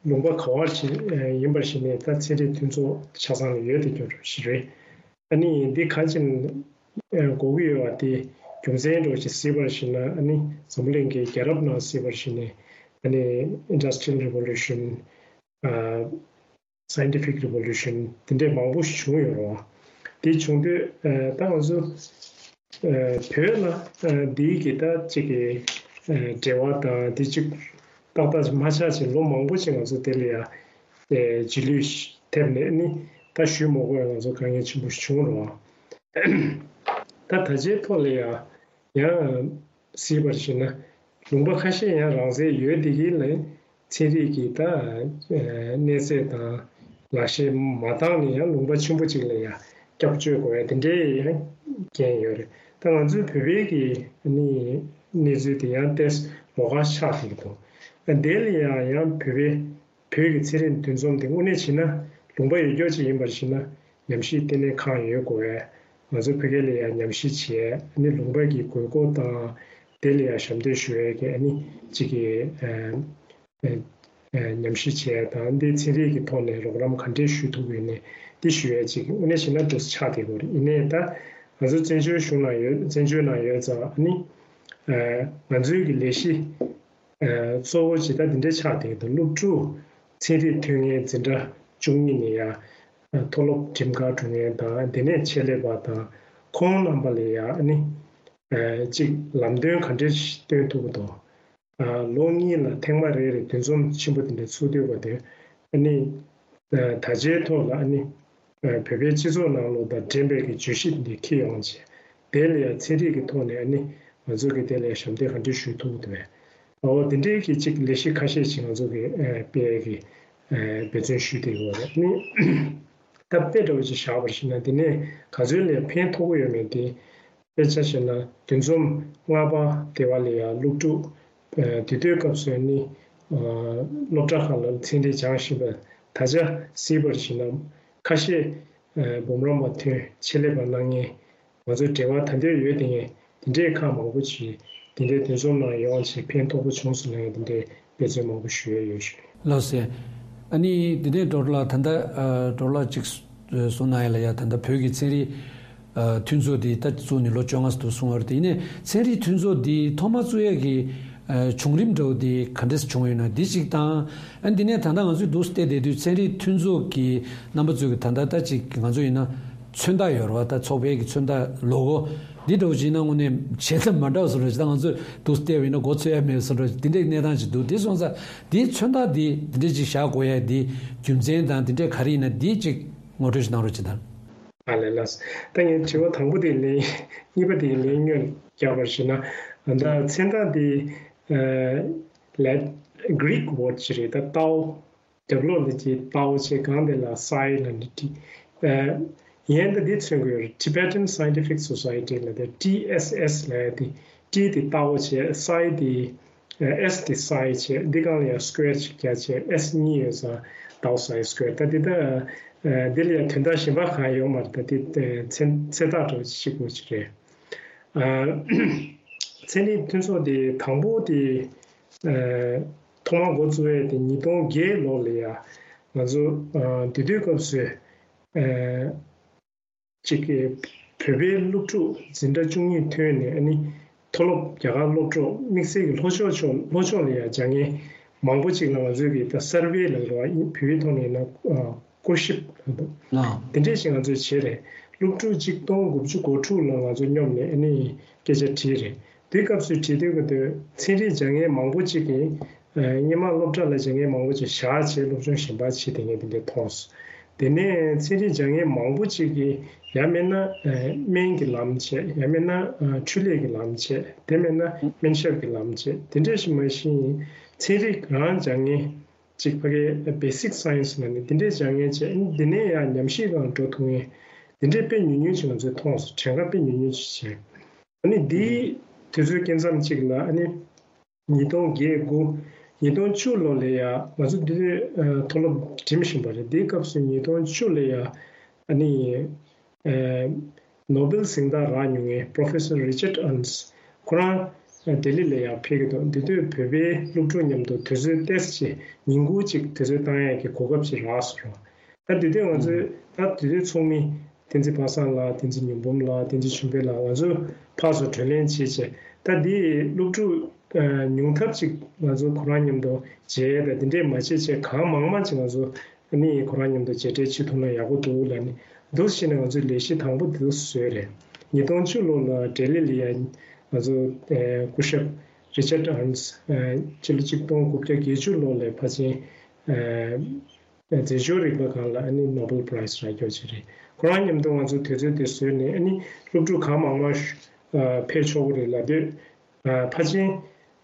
ལུང་པ་ག་བར་ཞིག་ཡིན་པར་ཞིག་ནས་ད་ཚན་རིག་མཐུན་ཚོགས་ཆ་ཚང་ལ་ཡོད་དེ་སྐྱོ་རུ་ཞིག་རེད། ཨ་ནི་འདི་ག་ཅིན་གོ་གི་ཡོད་པ་དེ་རྒྱུ་མཚན་འདྲ་ཞིག་གཟིགས་པར་ཞིག་ན། ཨ་ནི་འཛམ་བུ་གླིང་གི་རྒྱལ་རབས་ནང་གཟིགས་པར་ཞིག་ནས། ཨ་ནི་Industrial Revolution། Scientific Revolution དེ་འདྲས་མང་པོ་ཞིག་བྱུང་ཡོད་རེད་བ། དེ་བྱུང་དུས་ད་ང་ཚོ་བོད་ལ་འདིའི་གི་ད་ཅིག་གི་འབྲེལ་བ་དང་དེ་ཅིག་ཏག་ཏག་ཅིག་མ་ཆགས་ཅིག་ལོ་མང་པོ་ཅིག་ང་ཚོ་དེ་ལ་ཡ་རྗེས་ལུས་ཐེབས་ནས་ནི་ད་ཞུ་མ་དགོས་ང་ཚོ་དཀའ་ངལ་ཆེན་པོ་ཞིག་བྱུང་རེད་བ། ད་ད་ཆའི་ཐོག་ལ་ཡ་ཡང་གཟིགས་པར་བྱས་ན་ལུང་པ་ཁ་ཤས་ཡང་རང་བཙན་ཡོད་དེ་གི་ལ་ཚན་རིག་གི་ད་གནས་ཚད་དང་ལག་ཤེས་མ་འདང་ནས་ཡང་ལུང་པ་ཆེན་པོ་ཅིག་ལ་ཡང་སྐྱབས་བཅོལ་དགོས་ཡ་དེ་འདྲའི་ཡང་རྐྱེན་ཡོད་རེད། ད་ང་ཚོའི་བོད་པའི་གི་ནི་གནས་ཚུལ་དེ་ཡང་ཏོག་ཙམ་ལོགས་ཀ་ཆགས་བསྡད་ཀྱི་འདུག་དེ་ལ་ཡང་ཡང་བོད་པའི་བོད་ཀྱི་ཚན་རིག་འདུ་འཛོམས་དེ་དངོས་གནས་བྱས་ན་ལུང་པ་ཡོད་རྒྱུ་ཅིག་ཡིན་པར་བྱས་ན་ཉམས་ཞིབ་ལྟེ་གནས་ཁང་ཡོད་དགོས་པས། ང་ཚོ་བོད་སྐད་ལ་ཡང་ཉམས་ཞིབ་བྱས། ཨ་ནི་ལུང་པ་གི་དགོས་མཁོ་དང་དེ་ལ་ཡང་ཞབས་འདེགས་ཞུ་ཡས་ཀྱི་ཨ་ནི་གཅིག་གི་ཨ་ཨ་ཉམས་ཞིབ་བྱས་དང་འདི་ཚན་རིག་གི་ཐོག་ནས་རོགས་རམ་ག་འདྲས་ཞུ་ཐུབ་ཡོད་ནས་འདི་ཞུ་ཡས་གཅིག་དངོས་གནས་བྱས་ན་འདུག་ཆགས་བསྡད་ཡོད་རེད། ཡིན་ནའི་ད་ང་ཚོ་བཙན་བྱོལ་གཞུང་ནང་ཡོད་བཙན་བྱོལ་ནང་ཡོད་ཙང་ཨ་ནི་ང་ཚོའི་གི་ལས་གཞི། གཙོ་བོ་ཇི་ལྟར་འདི་འདྲའི་ཆགས་བསྡད་དང་སློབ་ཕྲུག་ཚན་རིག་ཐོན་མཁན་འཛིན་གྲྭ་བཅུ་གཉིས་ནས་ཡང་མཐོ་སློབ་ཁྲིམས་ཁང་འགྲོ་མཁན་དང་དེ་ནས་ཆེད་ལས་པ་དང་ཁོང་རྣམ་པ་ལ་ཡང་ནི་གཅིག་ལམ་སྟོན་ག་འདྲ་ཞིག་སྟོན་ཐུབ་ཀྱི་འདུག་ལོ་གཉིས་ལ་ཐེངས་མ་རེ་རེ་འདུ་འཛོམས་ཆེན་པོ་དེ་འདྲ་ཚུགས་སྡོད་པ་དེ་ནི། ད་ཆའི་ཐོག་ལ་ཨ་ནི་བོད་པའི་སྤྱི་ཚོགས་ནང་ལོགས་དང་འགྲན་པའི་གི་བརྗོད་གཞི་འདི་འཁྱེར་ཡོང་བྱས། དེ་ལ་ཡང་ཚན་རིག་གི་ཐོག་ནས་ཨ་ནི་ང་ཚོ་གི་དེ་ལ་ཡང་ཞབས་འདེགས་ག་འདྲ་ཞུ་ཐུབ་ཀྱི་འདུག་པས། འོ་དེ་འདྲའི་གི་ཅིག་ལས་གཞི་ཁ་ཤས་ཅིག་ང་ཚོ་གི་སྤེལ་གི་འབད་བརྩོན་ཞུས་བསྡད་ཡོད་རེད། ཨ་ནི་ད་དཔེ་འདྲ་བོ་ཅིག་བཞག་པར་བྱས་ན་དེ་ནས་ག་ཚོད་ལ་ཕན་ཐོགས་ཀྱི་ཡོད་མེད་དེ། དཔེ་ཆ་བཞག་ན་འདུ་འཛོམས་ལྔ་པ་དེ་བ་ལ་ཡང་སློབ་ཕྲུག་དེ་དུས་སྐབས་སུ་ནི་སློབ་གྲྭ་ཁག་ལ་ཚན་རིག་སྦྱངས་བཞིན་པ་ད་ཆ་གཟིགས་པར་བྱས་ན་ཁ་ཤས་འབུམ་རམས་པ་ཐོན་ཆེད་ལས་པ་གནང་མཁན་ང་ཚོའི་འབྲེལ་བ་ད་ལྟ་ཡོད་དེ་ངས་དེ་འདྲའི་ཁག་མང་པོ་ཅིག་དེ་འདྲའི་འདུ་འཛོམས་ནང་ཡོང་བྱས་ཕན་ཐོགས་པོ་བྱུང་སོང་ལ་ངས་དེ་འདྲའི་འབད་བརྩོན་མང་པོ་ཞུ་ཡས་ཡོད་ཞུ། ལགས་སེ། ཨ་ནི་འདི་ནས་ཌོག་ཊར་ལགས་ད་ལྟ་ཌོག་ཊར་ལགས་ཅིག་གསུངས་གནང་ཡ་ལ་ཡ་ད་ལྟ་བོད་ཀྱི་ཚན་རིག་མཐུན་ཚོགས་འདི་ད་བཙུགས་ནས་ལོ་བཅོ་ལྔ་ཙམ་འདུག་གསུངས་པ་རེད། དེ་ཡིན་ནའི་ཚན་རིག་མཐུན་ཚོགས་འདི་ཐོག་མ་བཙུགས་ཡས་ཀྱི་བྱུང་རིམ་འདྲ་བོ་འདི་ག་འདྲས་བྱུང་ཡོད་ན་འདི་གཅིག་དང་། ཨ་འདི་ནས་ད་ལྟ་ང་ཚོས་འདུག་བལྟས་བསྡད་དུས་ཚན་རིག་མཐུན་ཚོགས་ཀྱི་རྣམ་པ་ཚོས་ཀྱི་ད་ལྟ་ད་ཅིག་ང་ཚོ་ཡིན་ན་མཚོན་རྟགས་ཡོད་རེད་བ། ད་ཚོགས་པའི་གི་མཚོན་རྟགས་ལོ་གོ་འདི་འདྲ་བོ་ཅིག་ཡིན་ན་དངོས་གནས་བྱས་ཙང་མ་འདྲ་བ་བཟོ་འདྲ་ཅིག་ད་ང་ཚོས་འདུག་བལྟས་པ་ཡིན་ན་མགོ་ཚོས་ཡ་མེད་བཟོ་འདྲ་ཅིག་འདི་འདྲའི་གནས་སྟངས་ཅིག་འདུག་དེ་སོང་ཙང་འདིའི་མཚོན་རྟགས་འདི་འདི་འདྲ་ཅིག་བཞག་དགོས་ཡ་འདི་རྒྱུ་མཚན་དང་འདི་འདྲའི་ག་རེ་ཡིན་ན་འདི་ཅིག་ངོ་སྤྲོད་ཅིག་གནང་རོགས་ཅིག་དང་། ཨ་ལས་ལགས། ད་ངས་དྲི་བ་དང་པོ་དེ་ལན། གཉིས་པ་དེ་ལན་སྔོན་རྒྱག་པར་བྱས་ན། ད་མཚོན་རྟགས་འདི་ལ་Greek word ཅིག་རེད། ད་ཏའོ། རྒྱབ་ལོགས་ལ་ཅིག་ཏའོ་བྱས། སྒང་དེ་ལ་སའི་ལ་ནི་ཏི། ཡན་ད་འདི་མཚོན་གྱི་ཡོད་རེད། Tibetan Scientific Society ལ་དེ་ཏི་ཨེས་ཨེས་ལ་ཡ་དེ་ཏི་དེ་ཏའོ་བྱས། སའི་དེ་ཨེས་དེ་སའི་བྱས། འདི་སྒང་ལ་ཡ་སྐུ་ཝེར་ཅིག་བརྒྱབ་བྱས། ཨེས་གཉིས་ཡོད་ཙང་ཏའོ་སའི་སྐུ་ཝེར། ད་འདི་ད་འདི་ལ་ཡ་དོན་དག་གཞན་པ་གང་ཡོད་མ་རེད། ད་འདི་མཚན་མཚན་རྟགས་འདྲ་བོ་ཅིག་གཅིག་པོ་ཅིག་རེད། ཚན་རིག་མཐུན་ཚོགས་དེ་དང་པོ་དེ་ཐོག་མར་འགོ་བཙུགས་ཡས་དེ་ཉིས་སྟོང་བརྒྱད་ལོ་ལ་ཡ་ང་ཚོ་དེ་དུས་སྐབས་སུ་ཅིག་གི་བོད་པའི་སློབ་ཕྲུག་འཛིན་གྲྭ་བཅུ་གཉིས་ཐོན་ནས་ཨ་ནི་མཐོ་སློབ་རྒྱ་གར་སློབ་གྲོགས་དམིགས་བསལ་གྱི་ལྷོ་ཕྱོགས་ཕྱོགས་ལྷོ་ཕྱོགས་ལ་ཡ་སྦྱང་མཁན་མང་པོ་ཅིག་ལ་ང་ཚོས་ཀྱི་ད་སར་ཝེ་ལ་རེད་བ། བོད་ཡིག་ཐོག་ནས་ཡིན་ན་སྐོར་ཞིབ་ལ་འདུག་ཨ། དེ་འདྲས་ཞིག་ང་ཚོས་བྱས་རེད། སློབ་ཕྲུག་གཅིག་སྟོང་དགུ་བཅུ་གོ་དྲུག་ལ་ང་ཚོ་མཉམ་ནས་ཨ་ནི་སྐད་ཆ་དྲིས་རེད། དེའི་སྐབས་སུ་དྲིས་དུས་ཀྱི་དུས་ཚན་རིག་སྦྱང་མཁན་མང་པོ་གཅིག་གིས་སྔོན་མ་སློབ་གྲྭ་ལ་སྦྱང་མཁན་མང་པོ་གཅིག་བཞག་བྱས་སློབ་སྦྱོང་གཞན་པ་བྱེད་བསྡད་མཁན་དེ་འདྲ་མཐོང་སོང་། དེ་ནས་ཚན་རིག་སྦྱང་མཁན་མང་པོ་གཅིག་གིས་ཡང་མིན་ན་སྨན་གྱི་ལམ་བྱས། ཡང་མིན་ན་འཕྲུལ་ལས་ཀྱི་ལམ་བྱས། དེ་མིན་ན་སྨན་ཞབས་ཀྱི་ལམ་བྱས། དེ་འདྲ་ཞིག་མ་གཞི་ཚན་རིག་རང་སྦྱང་མཁན་ཅིག་ཕ་གའི་basic science ལ་ནི་དེ་འདྲའི་སྦྱང་མཁན་བྱས། འདི་ནས་ཡང་ཉམས་ཞིབ་ལ་འགྲོ་ཐུབ་མཁན་ དེ་འདྲའི་དཔེ་ཉུང་ཉུང་ཅིག་ང་ཚོས་མཐོང་སོང་། གྲངས་ཀ་དཔེ་ཉུང་ཉུང་ཅིག་བྱས། ཨ་ནི་འདིའི་དུས་ཚོད་སྐབས་མཚམས་གཅིག་ལ་ཨ་ནི་ཉིས་སྟོང་བརྒྱད་དགུ། ཉིས་སྟོང་བཅུ་ལོ་ལ་ཡ་ང་ཚོ་འདི་ཨ་མཐོ་སློབ་འགྲིམ་བཞིན་པ་རེད། འདིའི་སྐབས་སུ་ཉིས་སྟོང་བཅུ་ལ་ཡ་ཨ་ནི་ཨ་ནོ་སྦེལ་གཟེངས་རྟགས་རག་མྱོང་མཁན་Professor Richard Ernst ཁོ་རང་ལྡི་ལི་ལ་ཡང་ཕེབས་ཀྱི་འདུག་འདི་དུས་བོད་པའི་སློབ་ཕྲུག་མཉམ་དུ་དུས་ཚོད་ཏོག་ཙམ་ཅིག་ཉིན་གུང་ཅིག་དུས་ཚོད་བཏང་ཡས་ཀྱི་གོ་སྐབས་ཅིག་རག་སོང་རོགས། ད་དེ་དུས་ང་ཚོས་ད་དེ་དུས་ཚོགས་མི་བསྟན་འཛིན་པ་སངས་ལགས། བསྟན་འཛིན་ཉི་འབུམ་ལགས། བསྟན་འཛིན་ཆོས་འཕེལ་ལགས། ང་ཚོ་ཕར་ཚུར་བགྲོ་གླེང་བྱས་བྱས། ད་འདི་སློབ་ཕྲུག་ཉུང་མཐའ་ཅིག་ང་ཚོ་ཁོ་རང་མཉམ་དུ་མཇལ་ཡས་དང་དེ་འདྲས་མ་བྱས་བྱས་གང་མང་མང་ཅིག་ང་ཚོ་ཨ་ནི་ཁོ་རང་མཉམ་དུ་མཇལ་འཕྲད་བྱེད་ཐུབ་ན་ཡག་པོ་འདུག་ལབ་ནས་འདུག་བྱས་ནས་ང་ཚོའི་ལས་གཞི་དང་པོ་འདི་བཟོས་རེད། ཉིས་སྟོང་བཅུ་ལོ་ལ་ལྡི་ལི་ལ་ཡ་ང་ཚོ་སྐུ་ཞབས་Richard Ernst ཕྱི་ལོ་ཆིག་སྟོང་དགུ་བརྒྱ་བརྒྱད་ཅུ་ལོ་ལ་ཕལ་ཆེར་རྫས་སྦྱོར་རིག་པ་སྒང་ལ་ཨ་ནི་Nobel Prize རག་རྒྱུ་ཅིག་རེད། ཁོ་རང་མཉམ་དུ་ང་ཚོ་དུས་ཚོད་དེ་བཟོས་ནས་ཨ་ནི་སློབ་ཕྲུག་གང་མང་མང་ཕེབས་ཆོག་གི་རེད་ལབ་དུས། ཕལ་ཆེར་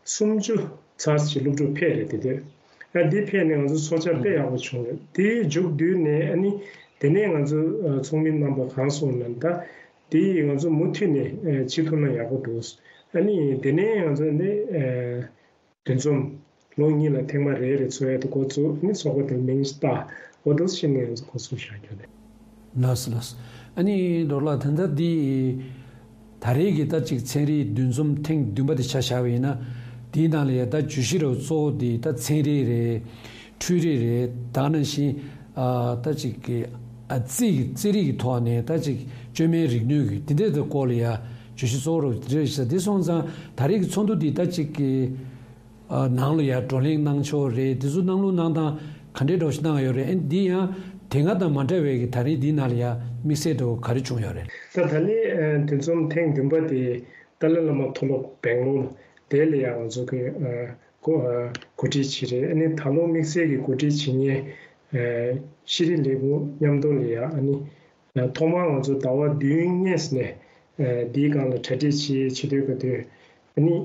སུམ་ཅུ་ཙམ་ཞིག་སློབ་ཕྲུག་ཕེབས་རེད། དེ་དུས་ཨ་འདི་ཕེབས་ནས་ང་ཚོ་ཚོགས་བཅར་དཔེ་ཡག་པོ་བྱུང་རེད། དེའི་མཇུག་བསྡུས་ནས་ཨ་ནི་དེ་ནས་ང་ཚོ་ཚོགས་མི་རྣམ་པ་གང་སོང་ན་ད་དེ་ང་ཚོ་མུ་མཐུད་ནས་བྱེད་ཐུབ་ན་ཡག་པོ་འདུག་ཨ་ནི་དེ་ནས་ང་ཚོ་ནི་འདུ་འཛོམས་ལོ་གཉིས་ལ་ཐེངས་མ་རེ་རེ་འཚོགས་ཡས་དེ་འགོ་བཙུགས། ཨ་ནི་ཚོགས་པ་དེ་མིང་བཏགས། འོ་འདུག་བྱས་ནས་ང་ཚོ་འགོ་འཛུགས་བྱ་རྒྱུ་རེད། ལགས་སོ་ལགས་སོ། ཨ་ནི་རོགས་ལགས་ད་ལྟ་འདི་ད་རེས་ཀྱི་ད་ཅིག་ཚན་རིག་འདུ་འཛོམས་ཐེངས་བདུན་པ་དེ་ཆ་བཞག་པ་ཡིན་ན། དེའི་ནང་ལ་ཡ་ད་བརྗོད་གཞི་རུ་གཙོ་བོ་དེ་ད་ཚན་རིག་རེད། འཕྲུལ་རིག་རེད། ད་ག་ནང་བཞིན་ཨ་ད་ཅིག་གི་ཨ་རྩིས་ཀྱི་རྩིས་རིག་གི་ཐོག་ནས་ད་ཅིག་བཅོས་མའི་རིག་ནུས་ཀྱི་དེ་འདྲའི་ད་སྐོར་ལ་ཡ་བརྗོད་གཞི་གཙོ་བོ་རུ་དེ་འདྲ་ཞིག་དེ་སོང་ཙང་ད་རེས་ཀྱི་ཚོགས་འདུ་འདི་ད་ཅིག་གི་ཨ་ནང་ལ་ཡང་བགྲོ་གླེང་གནང་ཕྱོགས་རེད། དེ་ཚོ་གནང་ལུགས་གནང་སྟངས་ག་འདྲའི་འདྲ་ཞིག་གནང་ཡོད་རེད། ཨ་འདི་ཡང་དེ་སྔ་དང་མ་འདྲ་བའི་གི་ད་རེས་འདི་ནང་ལ་ཡང་དམིགས་བསལ་འདྲ་ག་རེ་བྱུང་ཡོད་རེད། ད་ད་ལན་འདུ་འཛོམས་ཐེངས་བདུན་པ་དེ་ཏཱ་ལའི་བླ་མ་མཐོ་སློབ་སྦེང་ལོར་དེ་ལ་ཡང་ང་ཚོ་གི་གོ་གོ་སྒྲིག་བྱས་རེད། ཨ་ནི་ད་ལོ་དམིགས་བསལ་གྱི་གོ་སྒྲིག་བྱེད་མཁན་ཤེས་རིག་ལས་ཁུངས་མཉམ་དུ་ལ་ཡང་ཨ་ནི། ཐོག་མར་ང་ཚོ་ཟླ་བ་བདུན་སྔོན་ནས་འདིའི་སྒང་ལ་གྲ་སྒྲིག་བྱེད་བྱེད་སྡོད་དགོས་དུས། ཨ་ནི་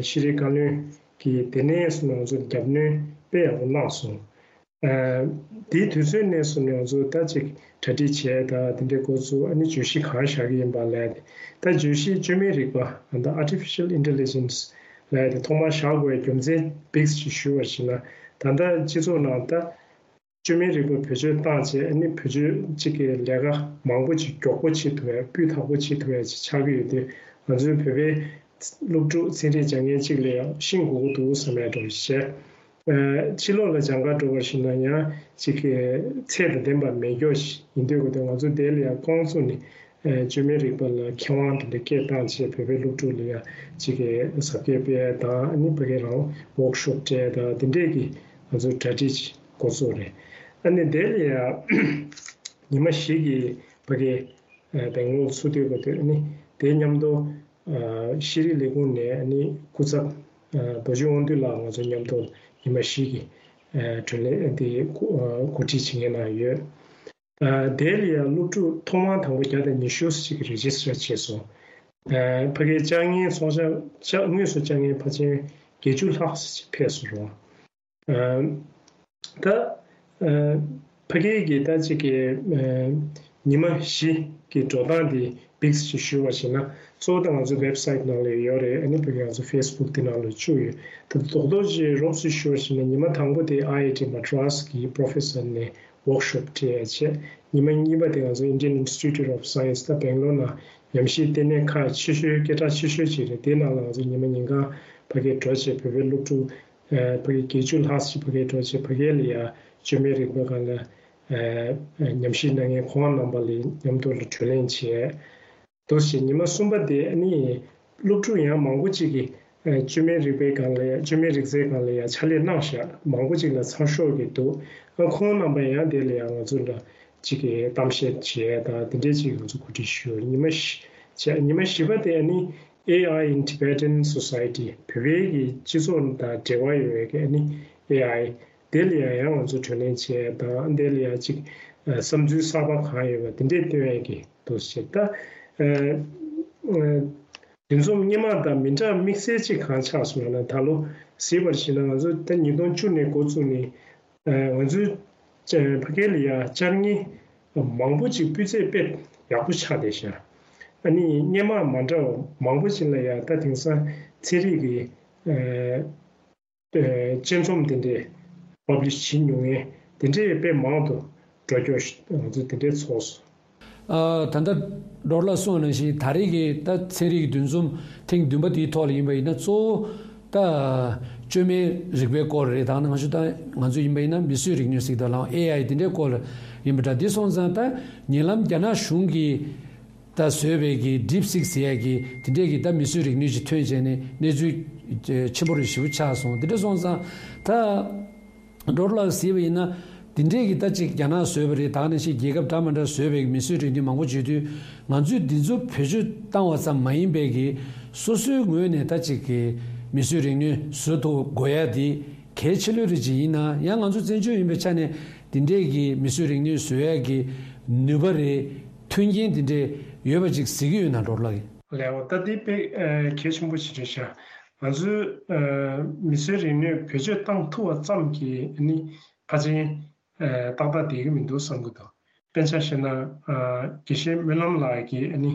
ཤེས་རིག་བཀའ་བློན་གྱིས་དེ་ནས་བཟུང་ནས་ང་ཚོ་རྒྱབ་སྣོན་དཔེ་ཡག་པོ་གནང་སོང་། དེའི་དུས་ཚོད་ནས་བཟུང་ནས་ང་ཚོ་ད་ཅིག་གྲ་སྒྲིག་བྱས་དང་དེ་འདྲའི་འགོ་བཙུགས། ཨ་ནི་བརྗོད་གཞི་གང་བཞག་གི་ཡིན་པ་ལབ་ཡ་དེ། ད་བརྗོད་གཞི་བཅོས་མའི་རིག་པ་ད་Artificial Intelligence ལབ་ཡ་དེ་ཐོག་མར་བཞག་དགོས་པའི་རྒྱུ་མཚན་བིགས་ཅིག་ཞུ་བ་ཞིག་ན། ད་ལྟ་སྤྱི་ཚོགས་ནང་ད། བཅོས་མའི་རིག་པ་བེད་སྤྱོད་བཏང་བྱས། ཨ་ནི་བེད་སྤྱོད་གཅིག་གི་ལས་ཀ་མང་པོ་ཅིག་མགྱོགས་པོ་བྱེད་ཐུབ་ཡ། སྤུས་དག་པོ་བྱེད་ཐུབ་ཡ་ཅིག་ཆགས་ཀྱི་ཡོད་དུས། ང་ཚོའི་བོད་པའི་སློབ་ཕྲུག་ཚན་རིག་སྦྱང་མཁན་གཅིག་ལ་ཡང་ཤེས་དགོས་ཀྱི་འདུག་བསམ་ཡ་འདྲ་བོ་ཞིག་བྱས། ཕྱི་ལོགས་ལ་སྦྱང་གར་འགྲོ་བ་ཞིག་ན་ཡང་གཅིག་གི་ཚད་དང་ལྡན་པ་མེད་མཁན་ཞིག་ཡིན་དུས་ཀྱི་དུས། ང་ཚོ་དེ་ལ་ཡང་རྐང་བཙུགས་ནས། བཅོས་མའི་རིག་པ་ལ་མཁས་དབང་དེ་འདྲ་སྐད་བཏང་བྱས། བོད་པའི་སློབ་ཕྲུག་ལ་ཡང་གཅིག་གི་ཟབ་རྒྱས་སྤེལ་ཡ་དང་། ཨ་ནི་ཕ་གི་རང་ཝོག་ཤོབ་སྤྲད་ཡ་དང་། དེ་འདྲས་ཀྱི་ང་ཚོ་གྲ་སྒྲིག་འགོ་ཚུགས་རེད། ཨ་ནི་དེ་ལ་ཡང་ཉི་མ་བཞི་གི་ཕ་གི་སྦེང་ལོར་ཚུགས་སྡོད་དགོས་དུས། ཨ་ནི་དེ་མཉམ་དུ་ཤེས་རིག་ལས་ཁུངས་ནས་ཨ་ནི་སྐུ་ཚབ་རྡོ་རྗེ་དབང་འདུས་ལགས་ང་ཚོ་མཉམ་དུ་ཉི་མ་བཞི་གི་བགྲོ་གླེང་དེ་གོ་སྒྲིག་བྱེད་མཁན་ནང་ཡོད། དེ་ལ་ཡང་སློབ་ཕྲུག་ཐོག་མར་དང་པོ་བརྒྱ་དང་ཉི་ཤུ་ཞིག་རེ་ཇི་སི་ཊར་བྱས་སོང་། ཕ་གིའི་བཅར་མཁན་ཚོགས་བཅར་བཅར་དངོས་སུ་བཅར་མཁན་ཕལ་ཆེར་བརྒྱད་ཅུ་ལྷག་ཞིག་ཕེབས་སོང་རོགས། ད་ཕ་གི་གི་ད་ཅིག་གི་ཉི་མ་བཞི་གི་འགྲོ་སྟངས་དེ་བིགས་ཅིག་ཞུ་བ་ཞིག་ན། གཙོ་བོ་ད་ང་ཚོའི་ཝེབ་སའིཊ་ནང་ལ་ཡོད་རེད། ཨ་ནི་ཕ་གི་ང་ཚོ་ཕེ་སི་བུག་དེ་ནང་ལ་བཅུག་ཡོད། ད་རྡོག་རྡོག་ཅིག་རོབ་ཙམ་ཞུ་བ་ཞིག་ན། ཉི་མ་དང་པོ་དེ་ཨའི་ཨའི་ཊི་མ་ཌི་རཱས་གི་པོ་རོ་ཕེ་སར་ནས་ཝོག་ཤོབ་སྤྲད་ཡ་བྱས། ཉི་མ་གཉིས་པ་དེ་ང་ཚོ་Indian Institute of Science ད་སྦེང་ལོར་ནང་ཉམས་ཞིབ་ལྟེ་གནས་ཁག་ཆེ་ཤོས་སྐད་གྲགས་ཆེ་ཤོས་ཅིག་རེད། དེ་ནང་ལ་ང་ཚོ་ཉི་མ་ཉིན་གང་ཕ་གིར་འགྲོ་བྱས། བོད་པའི་སློབ་ཕྲུག་ཕ་གི་བརྒྱད་ཅུ་ལྷག་ཅིག་ཕ་གིར་འགྲོ་བྱས། ཕ་གི་ལ་ཡ་བཅོས་མའི་རིག་པ་སྒང་ལ་ཉམས་ཞིབ་གནང་མཁན་ཁོང་རྣམ་པ་ལ་མཉམ་དུ་ལ་བགྲོ་གླེང་བྱས། འདུག་སེ་ཉི་མ་གསུམ་པ་དེ་ཨ་ནི་སློབ་ཕྲུག་ཡང་མང་པོ་ཅིག་གིས་བཅོས་མའི་རིག་པའི་སྒང་ལ་ཡ། བཅོས་མའི་རིག་རྩལ་སྒང་ལ་ཡ་ཕྱག་ལས་གནང་བཞག་མང་པོ་ཅིག་ལ་ཚགས་ཤོག་གི་འདུག་ཨ་ཁོང་རྣམ་པ་ཡང་དེ་ལ་ཡ་ང་ཚོ་ལ་ཅིག་གི་གཏམ་བཤད་བྱས་དང་དེ་འདྲས་ཅིག་ང་ཚོ་གོ་སྒྲིག་ཞུས། ཉི་མ་བཞི་བྱས། ཉི་མ་བཞི་པ་དེ་ཨ་ནི་AI in Tibetan Society བོད་པའི་གི་སྤྱི་ཚོགས་དང་འབྲེལ་བ་ཡོད་པའི་གི་ཨ་ནི་ཨེ་ཨའི་དེ་ལ་ཡ་ཡང་ང་ཚོ་བགྲོ་གླེང་བྱས་དང་། དེ་ལ་ཡ་ཅིག་བསམ་ཚུལ་གསར་པ་གང་ཡོད་པ་དེ་འདྲས་བཏོན་ཡ་གི་འདུག་སེ་བྱས། ད་འདུ་འཛོམས་སྔོན་མ་དང་མི་འདྲ་དམིགས་བསལ་ཅིག་གང་ཆགས་སོང་ལབ་ན། ད་ལོ་གཟིགས་པར་བྱས་ན་ང་ཚོ་ད་ཉིས་སྟོང་བཅུ་ནས་འགོ་བཙུགས་ནས་ང་ཚོའི་ཕ་གི་ལ་ཡ་བཅར་མཁན་མང་པོ་ཅིག་སྤུས་ཚད་དཔེ་ ཡག་པོ་ཆགས་བསྡད་ཤག་ཨ་ནི་སྔོན་མ་མ་འདྲ་བ་མང་པོ་ཅིག་ལ་ཡང་ད་དེང་སང་ཚན་རིག་གི་ཨ་དཔྱད་རྩོམ་དེ་འདྲས་པབ་ལི་ཤི་བྱེད་མྱོང་མཁན་དེ་འདྲས་དཔེ་མང་དུ་འགྲོ་རྒྱུ་ང་ཚོ་དེ་འདྲས་ཚོར་སོང་། ཨ། ད་ལྟ་ཌོག་ཊར་ལགས་གསུངས་པ་ནང་བཞིན་ད་རེས་ཀྱི་ད་ཚན་རིག་གི་འདུ་འཛོམས་ཐེངས་བདུན་པ་དེའི་ཐོག་ལ་ཡིན་པ་ཡིན་ན་གཙོ་བོ་ད་བཅོས་མའི་རིག་པའི་སྐོར་རེད། ད་ནང་བཞིན་ད་ང་ཚོ་ཡིན་པ་ཡིན་ན་མིས་བཟོས་རིག་ནུས་ཟེར་དང་ལའང་ཨེ་ཨའི་དེ་འདྲའི་སྐོར་ལ་ཡིན་པ་འདྲ། དེ་སོང་ཙང་ད་ཉེ་ལམ་རྒྱ་ནག་གཞུང་གིས་ད་བཟོས་པའི་གི་ཌིབ་སིག་ཟེར་ཡས་ཀྱི་དེ་འདྲས་ཀྱི་ད་མིས་བཟོས་རིག་ནུས་ཅིག་ཐོན་བྱས་ནས་གནས་ཚུལ་ཆེན་པོ་རེ་ཞེ་པོ་ཆགས་སོང་། དེ་འདྲ་སོང་ཙང་ད། ཌོག་ཊར་ལགས་ཟེར་བ་ཡིན་ན་འདི་འདྲས་ཀྱི་ད་ཅིག་རྒྱ་ནག་བཟོས་པ་རེད། ད་ནང་བཞིན་རྒྱལ་ཁབ་འདྲ་མི་འདྲ་བཟོས་པའི་མིས་བཟོས་རིག་ནུས་མང་པོ་བརྗོད་དུས་ང་ཚོས་འདི་ཚོ་བེད་སྤྱོད་བཏང་བ་ཙམ་མ་ཡིན་པའི་གི་སོ་སོའི་ངོས་ནས་ད་ཅིག་གི་མིས་བཟོས་རིག་ནུས་བཟོ་ཐུབ་དགོས་ཡ་དེ་གལ་ཆེ་ལོས་རེད་ཅིག་ཡིན་ན་ཡང་ང་ཚོ་བཙན་བྱོལ་ཡིན་པའི་ཆ་ནས་འདི་འདྲས་ཀྱི་མིས་བཟོས་རིག་ནུས་བཟོ་ཡ་གི་ནུས་པ་རེད། མཐུན་རྐྱེན་འདི་འདྲས་ཡོད་པ་ཅིག་གཟིགས་ཀྱི་ཡོད་ན་ཌོག་ཊར་ལགས་ཀྱིས། ལགས་འོ། ད་འདི་དཔེ་ཨ་གལ་ཆེན་པོ་ཞིག་རེད་ཤག་ང་ཚོས་ཨ་མིས་བཟོས་རིག་ནུས་བེད་སྤྱོད་བཏང་ཐུབ་པ་ཙམ་གྱིས་ཨ་ནི་ཕལ་ཆེར་ཨ་ཏག་ཏག་བསྡད་ཀྱི་མི་འདུག་བསམ་གྱི་འདུག་དཔེར་ཆ་བཞག་ན་ཨ་དགེ་བཤེས་སྨོན་ལམ་ལགས་ཀྱིས་ཨ་ནི་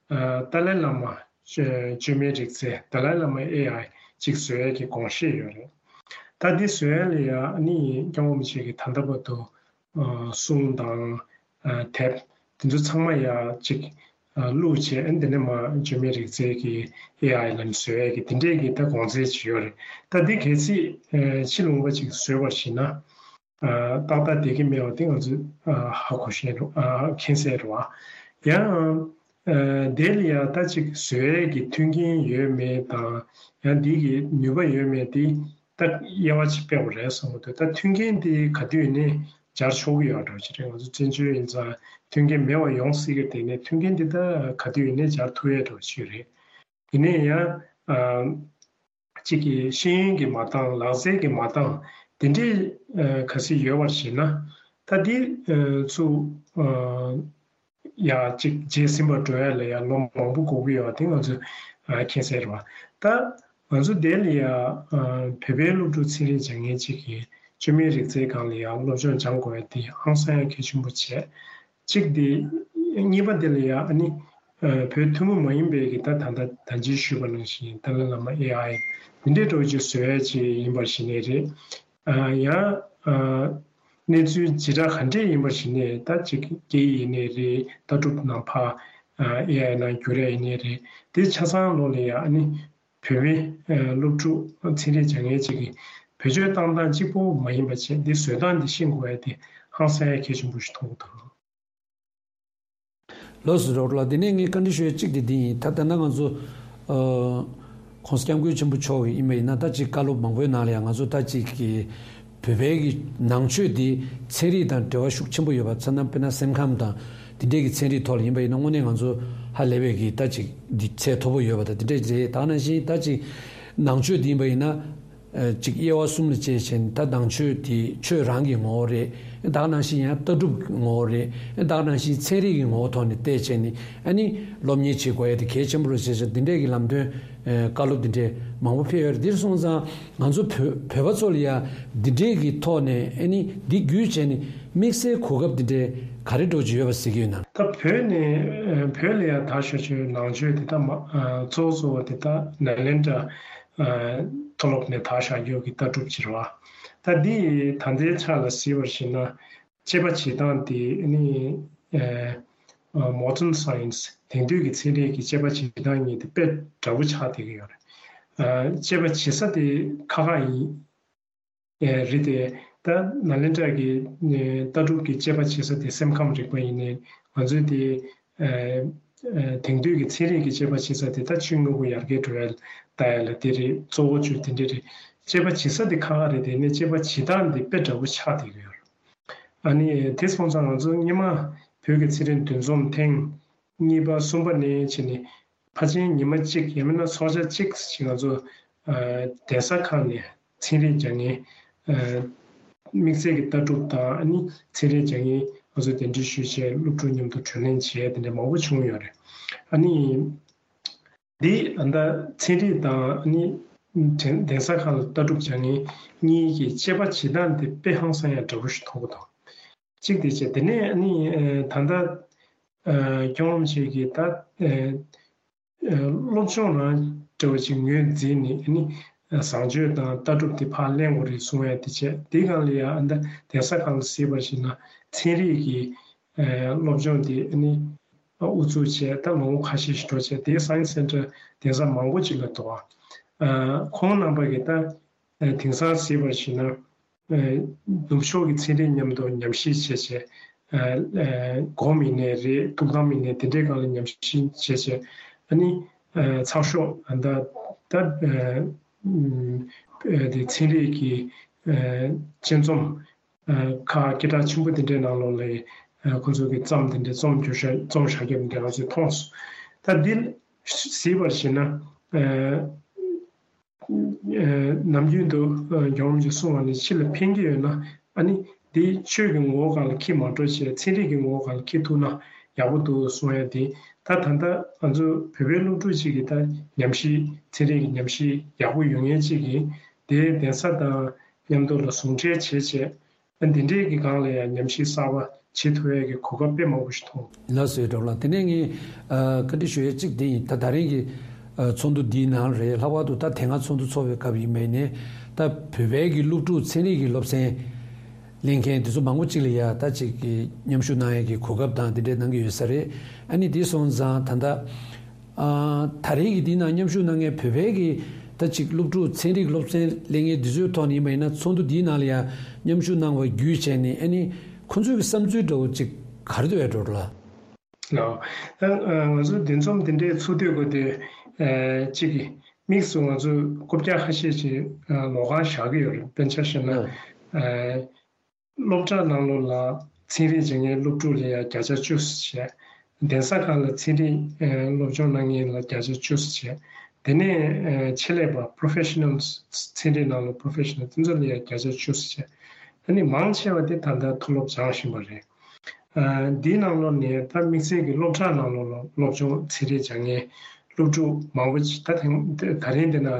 ཨ་ཏཱ་ལའི་བླ་མ་བཅོས་བཅོས་མའི་རིག་རྩལ་ཏཱ་ལའི་བླ་མ་ཨེ་ཨའི་ཅིག་བཟོ་ཡས་ཀྱི་དགོངས་བཞེས་ཡོད་རེད། ད་འདི་བཟོ་ཡས་ལ་ཡ་ཨ་ནི་སྐྱབས་མགོན་རིན་པོ་ཆེ་གིས་ད་ལྟ་བར་དུ་ཨ་གསུང་དང་ཨ་དེབ་དེ་ཚོ་ཚང་མ་ཡ་གཅིག་ཨ་བླུགས་བྱས་ཨ་ནི་དེ་ནས་མར་བཅོས་མའི་རིག་རྩལ་གྱི་ཨེ་ཨའི་ལ་ནི་བཟོ་ཡས་ཀྱི་དེ་འདྲས་ཀྱི་ད་དགོངས་ཚུལ་ཅིག་ཡོད་རེད། ད་འདི་གལ་སྲིད་ཨ་ཕྱི་ལུང་པ་ཅིག་བཟོས་པར་གཞིགས་ན་ཨ་ཏག་ཏག་བསྡད་ཀྱི་མེད་པ་དེ་ང་ཚོས་ཨ་ཧ་གོ་ཤེས་རེད། ཨ་མཁྱེན་གསལ་རེད་བ། ཡང་ཨ་དེ་ལ་ཡ་ད་ཅིག་བཟོ་ཡས་ཀྱི་མཐུན་རྐྱེན་ཡོད་མེད་དང་ཡང་འདི་གི་ནུས་པ་ཡོད་མེད་དེ། ད་དབྱེ་བ་ཅིག་ཕྱེ་དགོས་རེད་བསམ་གྱི་འདུག་ད་མཐུན་རྐྱེན་དེ་ག་དུས་ཡིན་ནའི་སྦྱར་ཆོག་གི་ཡོད་འགྲོ་ཅི་རེད། ང་ཚོ་བཙན་བྱོལ་ཡིན་ཙང་མཐུན་རྐྱེན་མེད་པ་ཡོང་སྲིད་ཀྱི་དེ་ནས་མཐུན་རྐྱེན་དེ་ད་ག་དུས་ཡིན་ནའི་སྦྱར་ཐུབ་ཡས་འགྲོ་ཅི་རེད། ཡིན་ནའི་ཡང་ཨ་གཅིག་གི་ཤེས་ཡོན་གྱི་མ་འདང་ལག་རྩལ་གྱི་མ་འདང་དེ་འདྲའི་ཨ་ག་ཚོད་ཡོད་པར་བྱས་ན་ད་འདི་ཨ་ཚུ་ཨ། ཡ་གཅིག་རྗེས་ཟིན་པ་འགྲོ་ཡ་ལ་ཡ་ལོ་མང་པོ་འགོར་གི་ཡོད་པ་དེ་ང་ཚོས་ཨ་མཁྱེན་གསལ་རེད་བ། ད་ང་ཚོ་དེ་ལ་ཡ་ཨ་བོད་པའི་སློབ་ཕྲུག་ཚན་རིག་སྦྱང་མཁན་གཅིག་གིས་བཅོས་མའི་རིག་རྩལ་སྒང་ལ་ཡ་སློབ་སྦྱོང་སྦྱང་དགོས་ཡ་དེ་ཧང་སང་ཡ་གལ་ཆེན་པོ་བྱས། གཅིག་དེ། གཉིས་པ་དེ་ལ་ཡ་ཨ་ནི་ཨ་བོད་ཐུན་མོང་མ་ཡིན་པའི་གི་ད་ད་ལྟ་ད་ཅི་ཞུས་པ་ནང་བཞིན་ཏཱ་ལའི་བླ་མ་ཨེ་ཨའི་དེ་འདྲའི་འགྲོ་རྒྱུ་བཟོ་ཡ་ཅིག་ཡིན་པར་བྱས་ནས་རེད། ཨ་ཡང་ཨ་གནས་ཚུལ་ཇི་འདྲ་ག་འདྲས་ཡིན་པར་བྱས་ནས་ད་ཅིག་སྐད་ཡིག་ཡིན་ནའི་རེད། ལྟ་གྲུབ་ནང་ཕར་ཨ་ཨེ་ཨའི་ནང་བསྒྱུར་ཡ་ཡིན་ནའི་རེད། དེ་ཆ་ཚང་ལོགས་ལ་ཡ་ཨ་ནི་བོད་པའི་ཨ་སློབ་ཕྲུག་ཚན་རིག་སྦྱང་མཁན་ཅིག་གིས་བེད་སྤྱོད་བཏང་སྟངས་གཅིག་པོ་མ་ཡིན་པ་བྱས་འདི་བཟོ་སྟངས་འདི་ཤེས་དགོས་ཡ་དེ་ཧང་སང་ཡ་གལ་ཆེན་པོ་ཞིག་མཐོང་གི་འདུག་ལགས་སོ་ཌོག་ཊར་ལགས། དེ་ནས་ངས་བཀའ་འདྲི་ཞུ་ཡ་གཅིག་དེ་འདི་ཡིན། ད་ལྟ་ན་ང་ཚོ་ཨ་༸གོང་ས་༸སྐྱབས་མགོན་ཆེན་པོ་མཆོག་གི་ཡིན་པ་ཡིན་ན་ད་ཅིག་བཀའ་སློབ་མང་པོའི་ནང་ལ་ཡང་ང་ཚོ་ད་ཅིག་གི་བོད་པའི་གི་ནང་ཆོས་འདི་ཚན་རིག་དང་འབྲེལ་བ་ཤུགས་ཆེན་པོ་ཡོད་པ་ཚོ་ན། དཔེར་ན་སེམས་ཁམས་དང་དེ་འདྲའི་གི་ཚན་རིག་ཐོག་ལ་ཡིན་པ་ཡིན་ན་དངོས་གནས་ང་ཚོ་ཧ་ལས་པའི་གི་ད་ཅིག་འདི་ཚད་མཐོ་པོ་ཡོད་པ་དང་དེ་འདྲ་རེད། ད་ནང་བཞིན་ད་ཅིག་ནང་ཆོས་འདི་ཡིན་པ་ཡིན་ན། ཨ་ཅིག་དབྱེ་བ་གསུམ་ལ་དཔྱད་བྱས་ནས་ད་ནང་ཆོས་དེ་ཆོས་རང་གི་ངོ་བོ་རེད། ད་ག་ནང་བཞིན་ཡང་ལྟ་གྲུབ་ཀྱི་ངོ་བོ་རེད། ད་ག་ནང་བཞིན་ཚན་རིག་གི་ངོ་བོ་ཐོག་ནས་བལྟས་བྱས་ནས་ཨ་ནི་སློབ་གཉེར་བྱེད་དགོས་ཡ་དེ་གལ་ཆེན་པོ་རེད་ཟེར་བྱས་འདི་འདྲས་ཀྱི་ལམ་སྟོན་ཨ་བཀའ་སློབ་འདི་འདྲས་མང་པོ་ཕེབས་ཡོད་རེད། འདིར་སོང་ཙང་ང་ཚོ་བོད་བོད་པ་ཚོ་ལ་ཡ་འདི་འདྲས་ཀྱི་ཐོག་ནས་ཨ་ནི་འདི་བརྒྱུད་བྱས་ནས་དམིགས་བསལ་གོ་སྐབས་འདི་འདྲས་ག་རེ་འགྲོ་གི་ཡོད་པ་གཟིགས་ཀྱི་ཡོད་ན། ད་བོད་ནས་ཨ་བོད་ལ་ཡ་དར་ཤོག་ཆོས་ནང་ཆོས་དེ་ད་མ་ཨ་གཙོ་བོ་གཙོ་བོ་དེ་ད་ནཱ་ལེནྡྲ། ཨ་མཐོ་སློབ་ནས་དར་བཞག་རྒྱུ་གི་ལྟ་གྲུབ་ཅིག་རེད་བ། ད་འདི་ད་ལྟའི་ཆ་ལ་གཟིགས་པར་བྱས་ན་དཔྱད་པ་བྱེད་སྟངས་དེ་ནི་ཨ་མོ་ཌན་སའེན་སི་དེང་དུས་ཀྱི་ཚན་རིག་གི་དཔྱད་པ་བྱེད་སྟངས་གཉིས་དེ་དཔེ་འདྲ་བོ་ཆགས་བསྡད་ཀྱི་ཡོད་རེད། ཨ་དཔྱད་པ་བྱེད་ས་དེ་ཁག་ཁག་ཡིན། ཨེ་རེད་དེ། ད་ནཱ་ལེནྡྲ་གི་ཨེ་ལྟ་གྲུབ་ཀྱི་དཔྱད་པ་བྱེད་ས་དེ་སེམས་ཁམས་རིག་པ་ཡིན་ནའི་ང་ཚོའི་དེ་ཨེ་ཨེ་དེང་དུས་ཀྱི་ཚན་རིག་གི་དཔྱད་པ་བྱེད་ས་དེ་ད་ཆུ་སྔོན་པོ་ཡར་རྒྱས་འགྲོ་ཡ་ལྟ་ཡ་ལ་དེ་རེད། གཙོ་བོ་ཆུ་དེ་འདྲ་རེད། དཔྱད་པ་བྱེད་ས་དེ་ཁག་ཁག་རེད་དེ་ནས་དཔྱད་པ་བྱེད་སྟངས་དེ་དཔེ་འདྲ་བོ་ཆགས་བསྡད་ཀྱི་ཡོད་རེད། ཨ་ནི་དེ་སོང་ཙང་ང་ཚོ་སྔོན་མ་བོད་ཀྱི་ཚན་རིག་འདུ་འཛོམས་ཐེངས་གཉིས་པ་གསུམ་པ་ནས་བྱས་ནས་ཕལ་ཆེར་ཉི་མ་གཅིག་ཡང་མིན་ན་ཚོགས་ཆ་གཅིག་ཞིག་ང་ཚོ་ཨ་གདན་ས་ཁག་ནས་ཚན་རིག་སྦྱང་མཁན་ཨ་དམིགས་བསལ་གྱི་ལྟ་གྲུབ་དང་ཨ་ནི་ཚན་རིག་སྦྱང་མཁན་ང་ཚོ་གདན་འདྲེན་ཞུས་བྱས་སློབ་ཕྲུག་མཉམ་དུ་གྲོས་གླེང་བྱས་དེ་འདྲ་མང་པོ་བྱུང་ཡོད་རེད། ཨ་ནི་འདི་ཨ་ད་ཚན་རིག་དང་ཨ་ནི་གདན་ས་ཁག་ལ་ལྟ་གྲུབ་སྦྱང་མཁན་གཉིས་ཀྱི་དཔྱད་པ་བྱེད་སྟངས་དེ་དཔེ་ཧང་སང་ཡ་འདྲ་པོ་ཞིག་མཐོང་གི་འདུག་གཅིག་དེ་བྱས། དེ་ནས་ཨ་ནི་ཨ་ད་ལྟ་ ཨ་སྐྱོང་བྱེད་ཀྱི་ད་ཨ་ཨ་སློབ་སྦྱོང་རང་འདྲ་བ་ཅིག་ངོས་འཛིན་ནས་ཨ་ནི་བཟང་སྤྱོད་དང་ལྟ་གྲུབ་དེ་ཕར་གླེང་དགོས་རེད་གསུང་ཡ་དེ་བྱས། དེའི་སྒང་ལ་ཡང་ཨ་ད་གདན་ས་ཁག་ལ་གཟིགས་པར་བྱས་ན་ཚན་རིག་གི་ཨ་སློབ་སྦྱོང་དེ་ཨ་ནི་དབུ་འཛུགས་བྱས། ད་ལོ་ངོ་ཁ་ཤས་ཤིག་འགྲོ་བྱས། དེའི་Science Centre་གདན་ས་མང་པོ་ཅིག་ལ་འདུག་ཨ། ཁོང་རྣམ་པ་གིས་ད་ཨ་དེང་སང་གཟིགས་པར་བྱས་ན། ཨ་ནུབ་ཕྱོགས་ཀྱི་ཚན་རིག་མཉམ་དུ་ཉམས་ཞིབ་བྱས་བྱས། ཨ་ཨ་སྒོམ་ཡིན་ནའི་རེད། ཐུགས་དམ་ཡིན་ནའི་དེ་འདྲའི་སྒང་ལ་ཉམས་ཞིབ་བྱས་བྱས། ཨ་ནི་ཨ་ཚགས་ཤོག་ཨ་ད་ད་ཨ་ཨ་དེ་ཚན་རིག་གི་ཨ་དཔྱད་རྩོམ་ཨ་ཁག་སྐད་གྲགས་ཆེན་པོ་དེ་འདྲའི་ནང་ལོགས་ལ་ཨ་ཁོ་ཚོ་གི་རྩོམ་དེ་འདྲའི་རྩོམ་བསྒྱུར་བྱ་རྩོམ་བཞག་རྒྱུ་དེ་འདྲ་ང་ཚོས་མཐོང་སོང་། ད་འདི་གཟིགས་པར་བྱས་ན་ཨ། ཨ་ནམ་རྒྱུན་དུ་ཨ་རྒྱལ་བ་རིན་པོ་ཆེས་གསུངས་པ་ནི་ཕྱི་ལ་ཕན་གྱི་ཡོད་ན་ཨ་ནི་དེ་ཆོས་ཀྱི་ངོ་བོ་སྒང་ལ་འཁྱེར་མ་འགྲོ་བྱས། ཚན་རིག་གི་ངོ་བོ་སྒང་ལ་འཁྱེར་ཐུབ་ན་ཡག་པོ་འདུག་གསུང་ཡ་དེ། ད་ད་ལྟ་ང་ཚོ་བོད་པའི་སློབ་ཕྲུག་ཅིག་གིས་ད་ཉམས་ཞིབ་ཚན་རིག་གི་ཉམས་ཞིབ་ཡག་པོ་ཡོང་མཁན་ཅིག་གིས་དེ་གདན་ས་དང་མཉམ་དུ་ལ་ཟུང་འབྲེལ་བྱས་བྱས། འདི་འདྲའི་གི་སྒང་ལ་ཡང་ཉམས་ཞིབ་གསར་པ་བྱེད་ཐུབ་ཡས་ཀྱི་གོ་སྐབས་དཔེ་མང་པོ་ཞིག་མཐོང་། ལགས་སོ་གྲོགས་ལགས། དེ་ནས་ངས་ཨ་བཀའ་འདྲི་ཞུ་ཡས་གཅིག་དེ་ཡིན། ད་ད་རིང་གི་ཨ་ཚོགས་འདུ་འདིའི་ནང་རེད། ལྷག་པར་དུ་ད་དེ་སྔ་ཚོགས་འདུ་ཚོགས་པའི་སྐབས་ཡིན་པ་ཡིན་ནའི་ད་བོད་པའི་གི་སློབ་ཕྲུག་ཚན་རིག་གི་སློབ་ཚན་ལེན་མཁན་དེ་ཚོ་མང་པོ་གཅིག་ལ་ཡ་ད་ཅིག་གི་མཉམ་ཞུགས་གནང་ཡས་ཀྱི་གོ་སྐབས་དང་དེ་འདྲའི་གནང་གི་ཡོད་ས་རེད། ཨ་ནི་དེ་སོང་ཙང་ད་ལྟ། ཨ་ད་རེས་ཀྱི་འདིའི་ནང་མཉམ་ཞུགས་གནང་མཁན་བོད་པའི་གི་ད་ཅིག་སློབ་ཕྲུག་ཚན་རིག་སློབ་ཚན་ལེན་མཁན་འདི་ཚོའི་ཐོག་ནས་ཡིན་པ་ཡིན་ན་ཚོགས་འདུ་འདིའི་ནང་ལ་ཡང་མཉམ་ཞུགས་གནང་བ་བརྒྱུད་བྱས་ནས་ཨ་ནི་ཁོ་ཚོའི་གི་བསམ་ཚུལ་འདྲ་བོ་ཅིག་ག་རེ་འདུག་ཡ་གྲོགས་ལགས། ལགས། ད་ང་ཚོ་འདི་འཛོམས་འདི་འདྲའི་ཚོགས་འདུ་དགོས་དུས་ཨ་ཅིག་གི་དམིགས་སུ་ང་ཚོ་རྐུབ་བཀྱག་ཁ་ཤས་ཅིག་ཨ་ལོགས་ཀ་བཞག་གི་ཡོད་རེད། དཔེར་ན་ཆ་བཞག་ན་ཨ། སློབ་གྲྭ་ནང་ལོགས་ལ་ཚན་རིག་སྦྱང་མཁན་སློབ་ཕྲུག་ལ་ཡང་བརྒྱ་ཆ་བཅུ་བྱས། གདན་ས་ཁག་ལ་ཚན་རིག་ཨ་སློབ་སྦྱོང་གནང་མཁན་ལ་བརྒྱ་ཆ་བཅུ་བྱས། དེ་ནས་ཨ་ཆེད་ལས་པ་professionals ཚན་རིག་ནང་ལ་professional དེ་ཚོ་ལ་ཡང་བརྒྱ་ཆ་བཅུ་བྱས། ཨ་ནི་མང་ཆེ་བ་དེ་ད་ལྟ་མཐོ་སློབ་སྦྱང་བཞིན་པ་རེད། ཨ་འདིའི་ནང་ལོགས་ནས་ད་དམིགས་བསལ་གྱི་སློབ་གྲྭ་ནང་ལོགས་ལ་སློབ་སྦྱོང་ཚན་རིག་སྦྱང་མཁན་སློབ་ཕྲུག་མང་པོ་ཅིག་ད་ཐེངས་ད་རིང་འདི་ན་ཨ་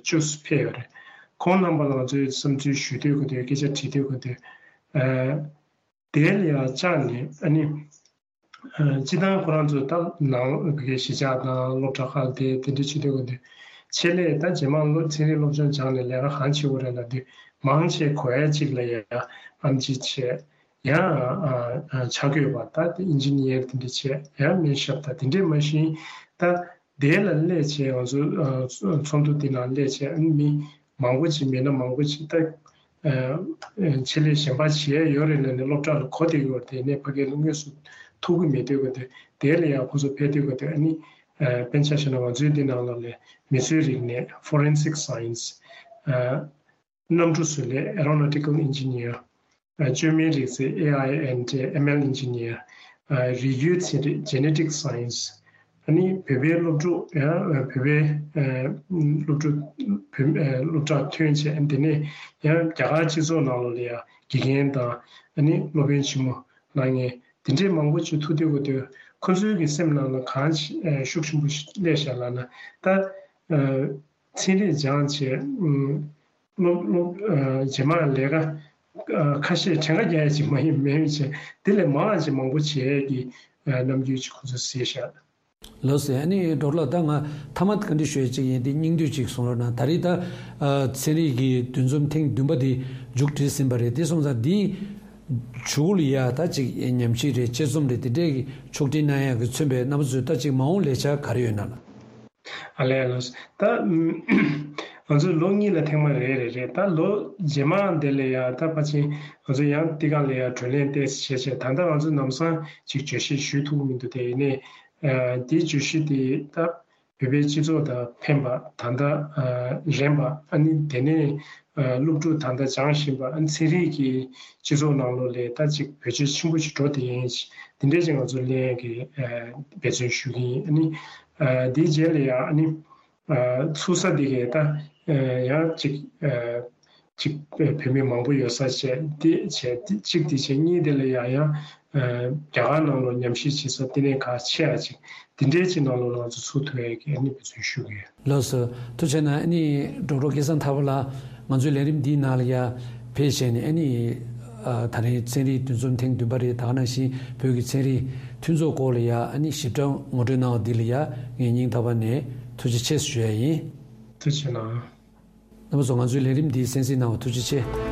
བཅུ་ཕེབས་ཡོད་རེད། ཁོང་རྣམ་པ་ལ་ང་ཚོས་བསམ་ཚུལ་ཞུ་འདོད་ཀྱི་འདུག་སྐད་ཆ་དྲི་འདོད་ཀྱི་འདུག་ཨ་དེ་ལ་ཡང་བཅར་ནས་ཨ་ནི་ཨ་སྤྱིར་བཏང་ཁོ་རང་ཚོ་ད་ནང་གི་གཞིས་ཆགས་དང་སློབ་གྲྭ་ཁག་དེ་དེ་འདྲ་བྱེད་འདོད་ཀྱི་འདུག་ཆེད་ལས་ད་རྗེས་མ་སློབ་ཚན་རིག་སློབ་སྦྱོང་སྦྱངས་ནས་ལས་ཀ་གང་བྱེད་དགོས་རེད་ལབ་དུས་མང་ཆེ་གོ་ཡ་གཅིག་ལ་ཡ་ཨེམ་ཆི་བྱས། ཡང་ཨ་ཨ་ཕྱག་བགོས་པ་ད་ཨིན་ཇི་ནི་ཡར་དེ་འདྲ་བྱས། ཡང་སྨན་ཞབས་ད་དེ་འདྲས་མ་གཞི་ད་དེ་ལ་སླེབས་བྱས་ང་ཚོ་ཨ་ཚོགས་འདུ་དེ་ནང་སླེབས་བྱས་ཨ་ནི་མི་མང་པོ་ཅིག་མེད་ན་མང་པོ་ཅིག་ད་ཨ་ཆེད་ལས་གཞན་པ་བྱེད་ཡ་ཡོད་རེད་ལབ་ནས་སློབ་གྲྭ་ལ་གོ་བསྡད་ཡོད་རེད། དེ་ནས་ཕ་གིར་དངོས་སུ་ཐུག་གི་མེད་དུས་ག་དུས་དེ་ལ་ཡང་ཁོ་ཚོ་ཕེབས་དུས་ག་དུས་ཨ་ནི་ཨ་དཔེར་ན་ཆ་བཞག་ན་ང་ཚོའི་འདི་ནང་ལ་ལས་མི་ཚོའི་རིག་གནས་forensic science ཨ། གནམ་གྲུ་བཟོ་ལས་aeronautical engineer ཨ། བཅོས་མའི་རིག་རྩལ་A I and M L engineer ཨ། རིགས་རྒྱུད་ཚན་རིག་genetic science ཨ་ནི་བོད་པའི་སློབ་ཕྲུག་ཡང་བོད་པའི་ཨ། སློབ་ཕྲུག་བོད་ཨ། སློབ་གྲྭར་ཐོན་བྱས་དེ་ནས་ཡང་རྒྱ་གར་སྤྱི་ཚོགས་ནང་ལོགས་ལ་ཡང་དགེ་རྒན་དང་ཨ་ནི་སློབ་དཔོན་ཆེན་མོ་གནང་མཁན་དེ་འདྲའི་མང་པོ་ཅིག་ཐུག་དུས་ག་དུས་ཁོ་ཚོའི་གི་སེམས་ནང་ལ་གང་ཤུགས་ཆེན་པོ་ཞིག་སླེབས་བཞག་ལབ་ན་ད་ཨ། ཚན་རིག་སྦྱངས་བྱས། སློབ་སློབ་ཨ། རྗེས་མ་ལས་ཀ་ཨ། ཁ་ཤས་གྲངས་ཀ་རྒྱག་ཡ་ཅིག་མ་ཡིན་མེད་བྱས་དེ་ལས་མང་བ་ཅིག་མང་པོ་བྱེད་ཡས་ཀྱི་ཨ། རྣམ་འགྱུར་ཅིག་ཁོ་ཚོས་གཟིགས་ཤག་ལགས་སོ། ཨ་ནི་གྲོགས་ལགས་ད་ང་མཐའ་མ་བཀའ་འདྲི་ཞུ་ཡ་ཅིག་ཡིན་ཏེ་སྙིང་བསྡུས་ཅིག་གསུང་རོགས་གནང་། ད་རེས་ད་ཨ། ཚན་རིག་གི་འདུ་འཛོམས་ཐེངས་བདུན་པ་འདི་མཇུག་སྒྲིལ་ཟིན་པ་རེད། དེ་སོང་ཙང་འདི་མཇུག་ལ་ཡ་ད་ཅིག་ཉམས་ཞིབ་རེད་དཔྱད་རྩོམ་རེད་དེ་འདྲའི་ཕྱོགས་སྒྲིག་གནང་ཡ་གི་མཚོན་པའི་རྣམ་པ་ཚོས་ད་ཅིག་མ་འོངས་ལས་འཆར་ག་རེ་ཡོད་ན་ལགས། ཨ་ལས་ལགས། ད་ང་ཚོས་ལོ་གཉིས་ལ་ཐེངས་མ་རེ་རེ་རེད། ད་ལོ་རྗེས་མ་དེ་ལ་ཡང་ད་ཕལ་ཆེར་ང་ཚོ་ཡང་དེ་ག་ལ་ཡང་བགྲོ་གླེང་ཏོག་ཙམ་བྱས་བྱས་ད་ལྟ་ང་ཚོ་ལམ་སང་ཅིག་བརྗོད་གཞི་ཞུ་ཐུབ་ཀྱི་མི་འདུག་དེ་ཡིན་ནའི་ཨ། དེའི་བརྗོད་གཞི་དེ་ད་བོད་པའི་སྤྱི་ཚོགས་དང་ཕན་པ་ད་ལྟ་ཨ། རན་པ་ཨ་ནི་དེ་ནས་ཨ། སློབ་ཕྲུག་ད་ལྟ་སྦྱང་བཞིན་པ་ཨ་ནི་ཚན་རིག་གི་སྤྱི་ཚོགས་ནང་ལོགས་ལ་ད་ཅིག་བེད་སྤྱོད་ཆེན་པོ་ཞིག་འགྲོ་བསྡད་མཁན་ཞིག་དེ་འདྲས་ཅིག་ང་ཚོ་ལེན་ཡས་ཀྱི་ཨ། འབད་བརྩོན་ཞུ་གི་ཡིན། ཨ་ནི་ཨ། དེའི་རྗེས་ལ་ཡང་ཨ་ནི་ཨ། ཚུགས་ས་དེ་གས་ད་ཨ། ཡང་ཅིག་ཨ། ཅིག་བོད་མི་མང་པོ་ཡོད་ས་བྱས་དེ་བྱས་དེ་གཅིག་དེ་བྱས། གཉིས་དེ་ལ་ཡང་ཡང་ཨ། རྒྱ་གར་ནང་ལོགས་ཉམས་ཞིབ་བྱེད་ས་དེ་ནས་ཁག་ཆེ་ཡ་ཅིག་དེ་འདྲའི་ཅིག་ནང་ལོགས་ལ་ང་ཚོ་ཚུགས་ཐུབ་ཡས་ཀྱི་ཨ་ནི་འབད་བརྩོན་ཞུ་གི་ཡོད། ལགས་སོ། ཐུགས་རྗེ་གནང་། ཨ་ནི་ཌོག་ཊར་སྐལ་བཟང་ཐར་པ་ལགས་ང་ཚོའི་ལས་རིམ་འདིའི་ནང་ལ་ཡ་ཕེབས་བྱས་ནས་ཨ་ནི་ ཨ། ད་རིང་ཚན་རིག་འདུ་འཛོམས་ཐེངས་བདུན་པ་རེད། ད་ག་ནང་བཞིན་བོད་ཀྱི་ཚན་རིག་མཐུན་ཚོགས་སྐོར་ལ་ཡ་ཨ་ནི་ཞིབ་ཕྲ་ངོ་སྤྲོད་གནང་བ་འདི་ལ་ཡ་ངས་སྙིང་ཐག་པ་ནས་ཐུགས་རྗེ་ཆེ་ཞུ་ཡ་ཡིན། ཐུགས་རྗེ་གནང་། རྣམ་པ་ཚོ་ང་ཚོའི་ལས་རིམ་འདི་གསན་གཟིགས་གནང་བ་ཐུགས་རྗེ་ཆེ།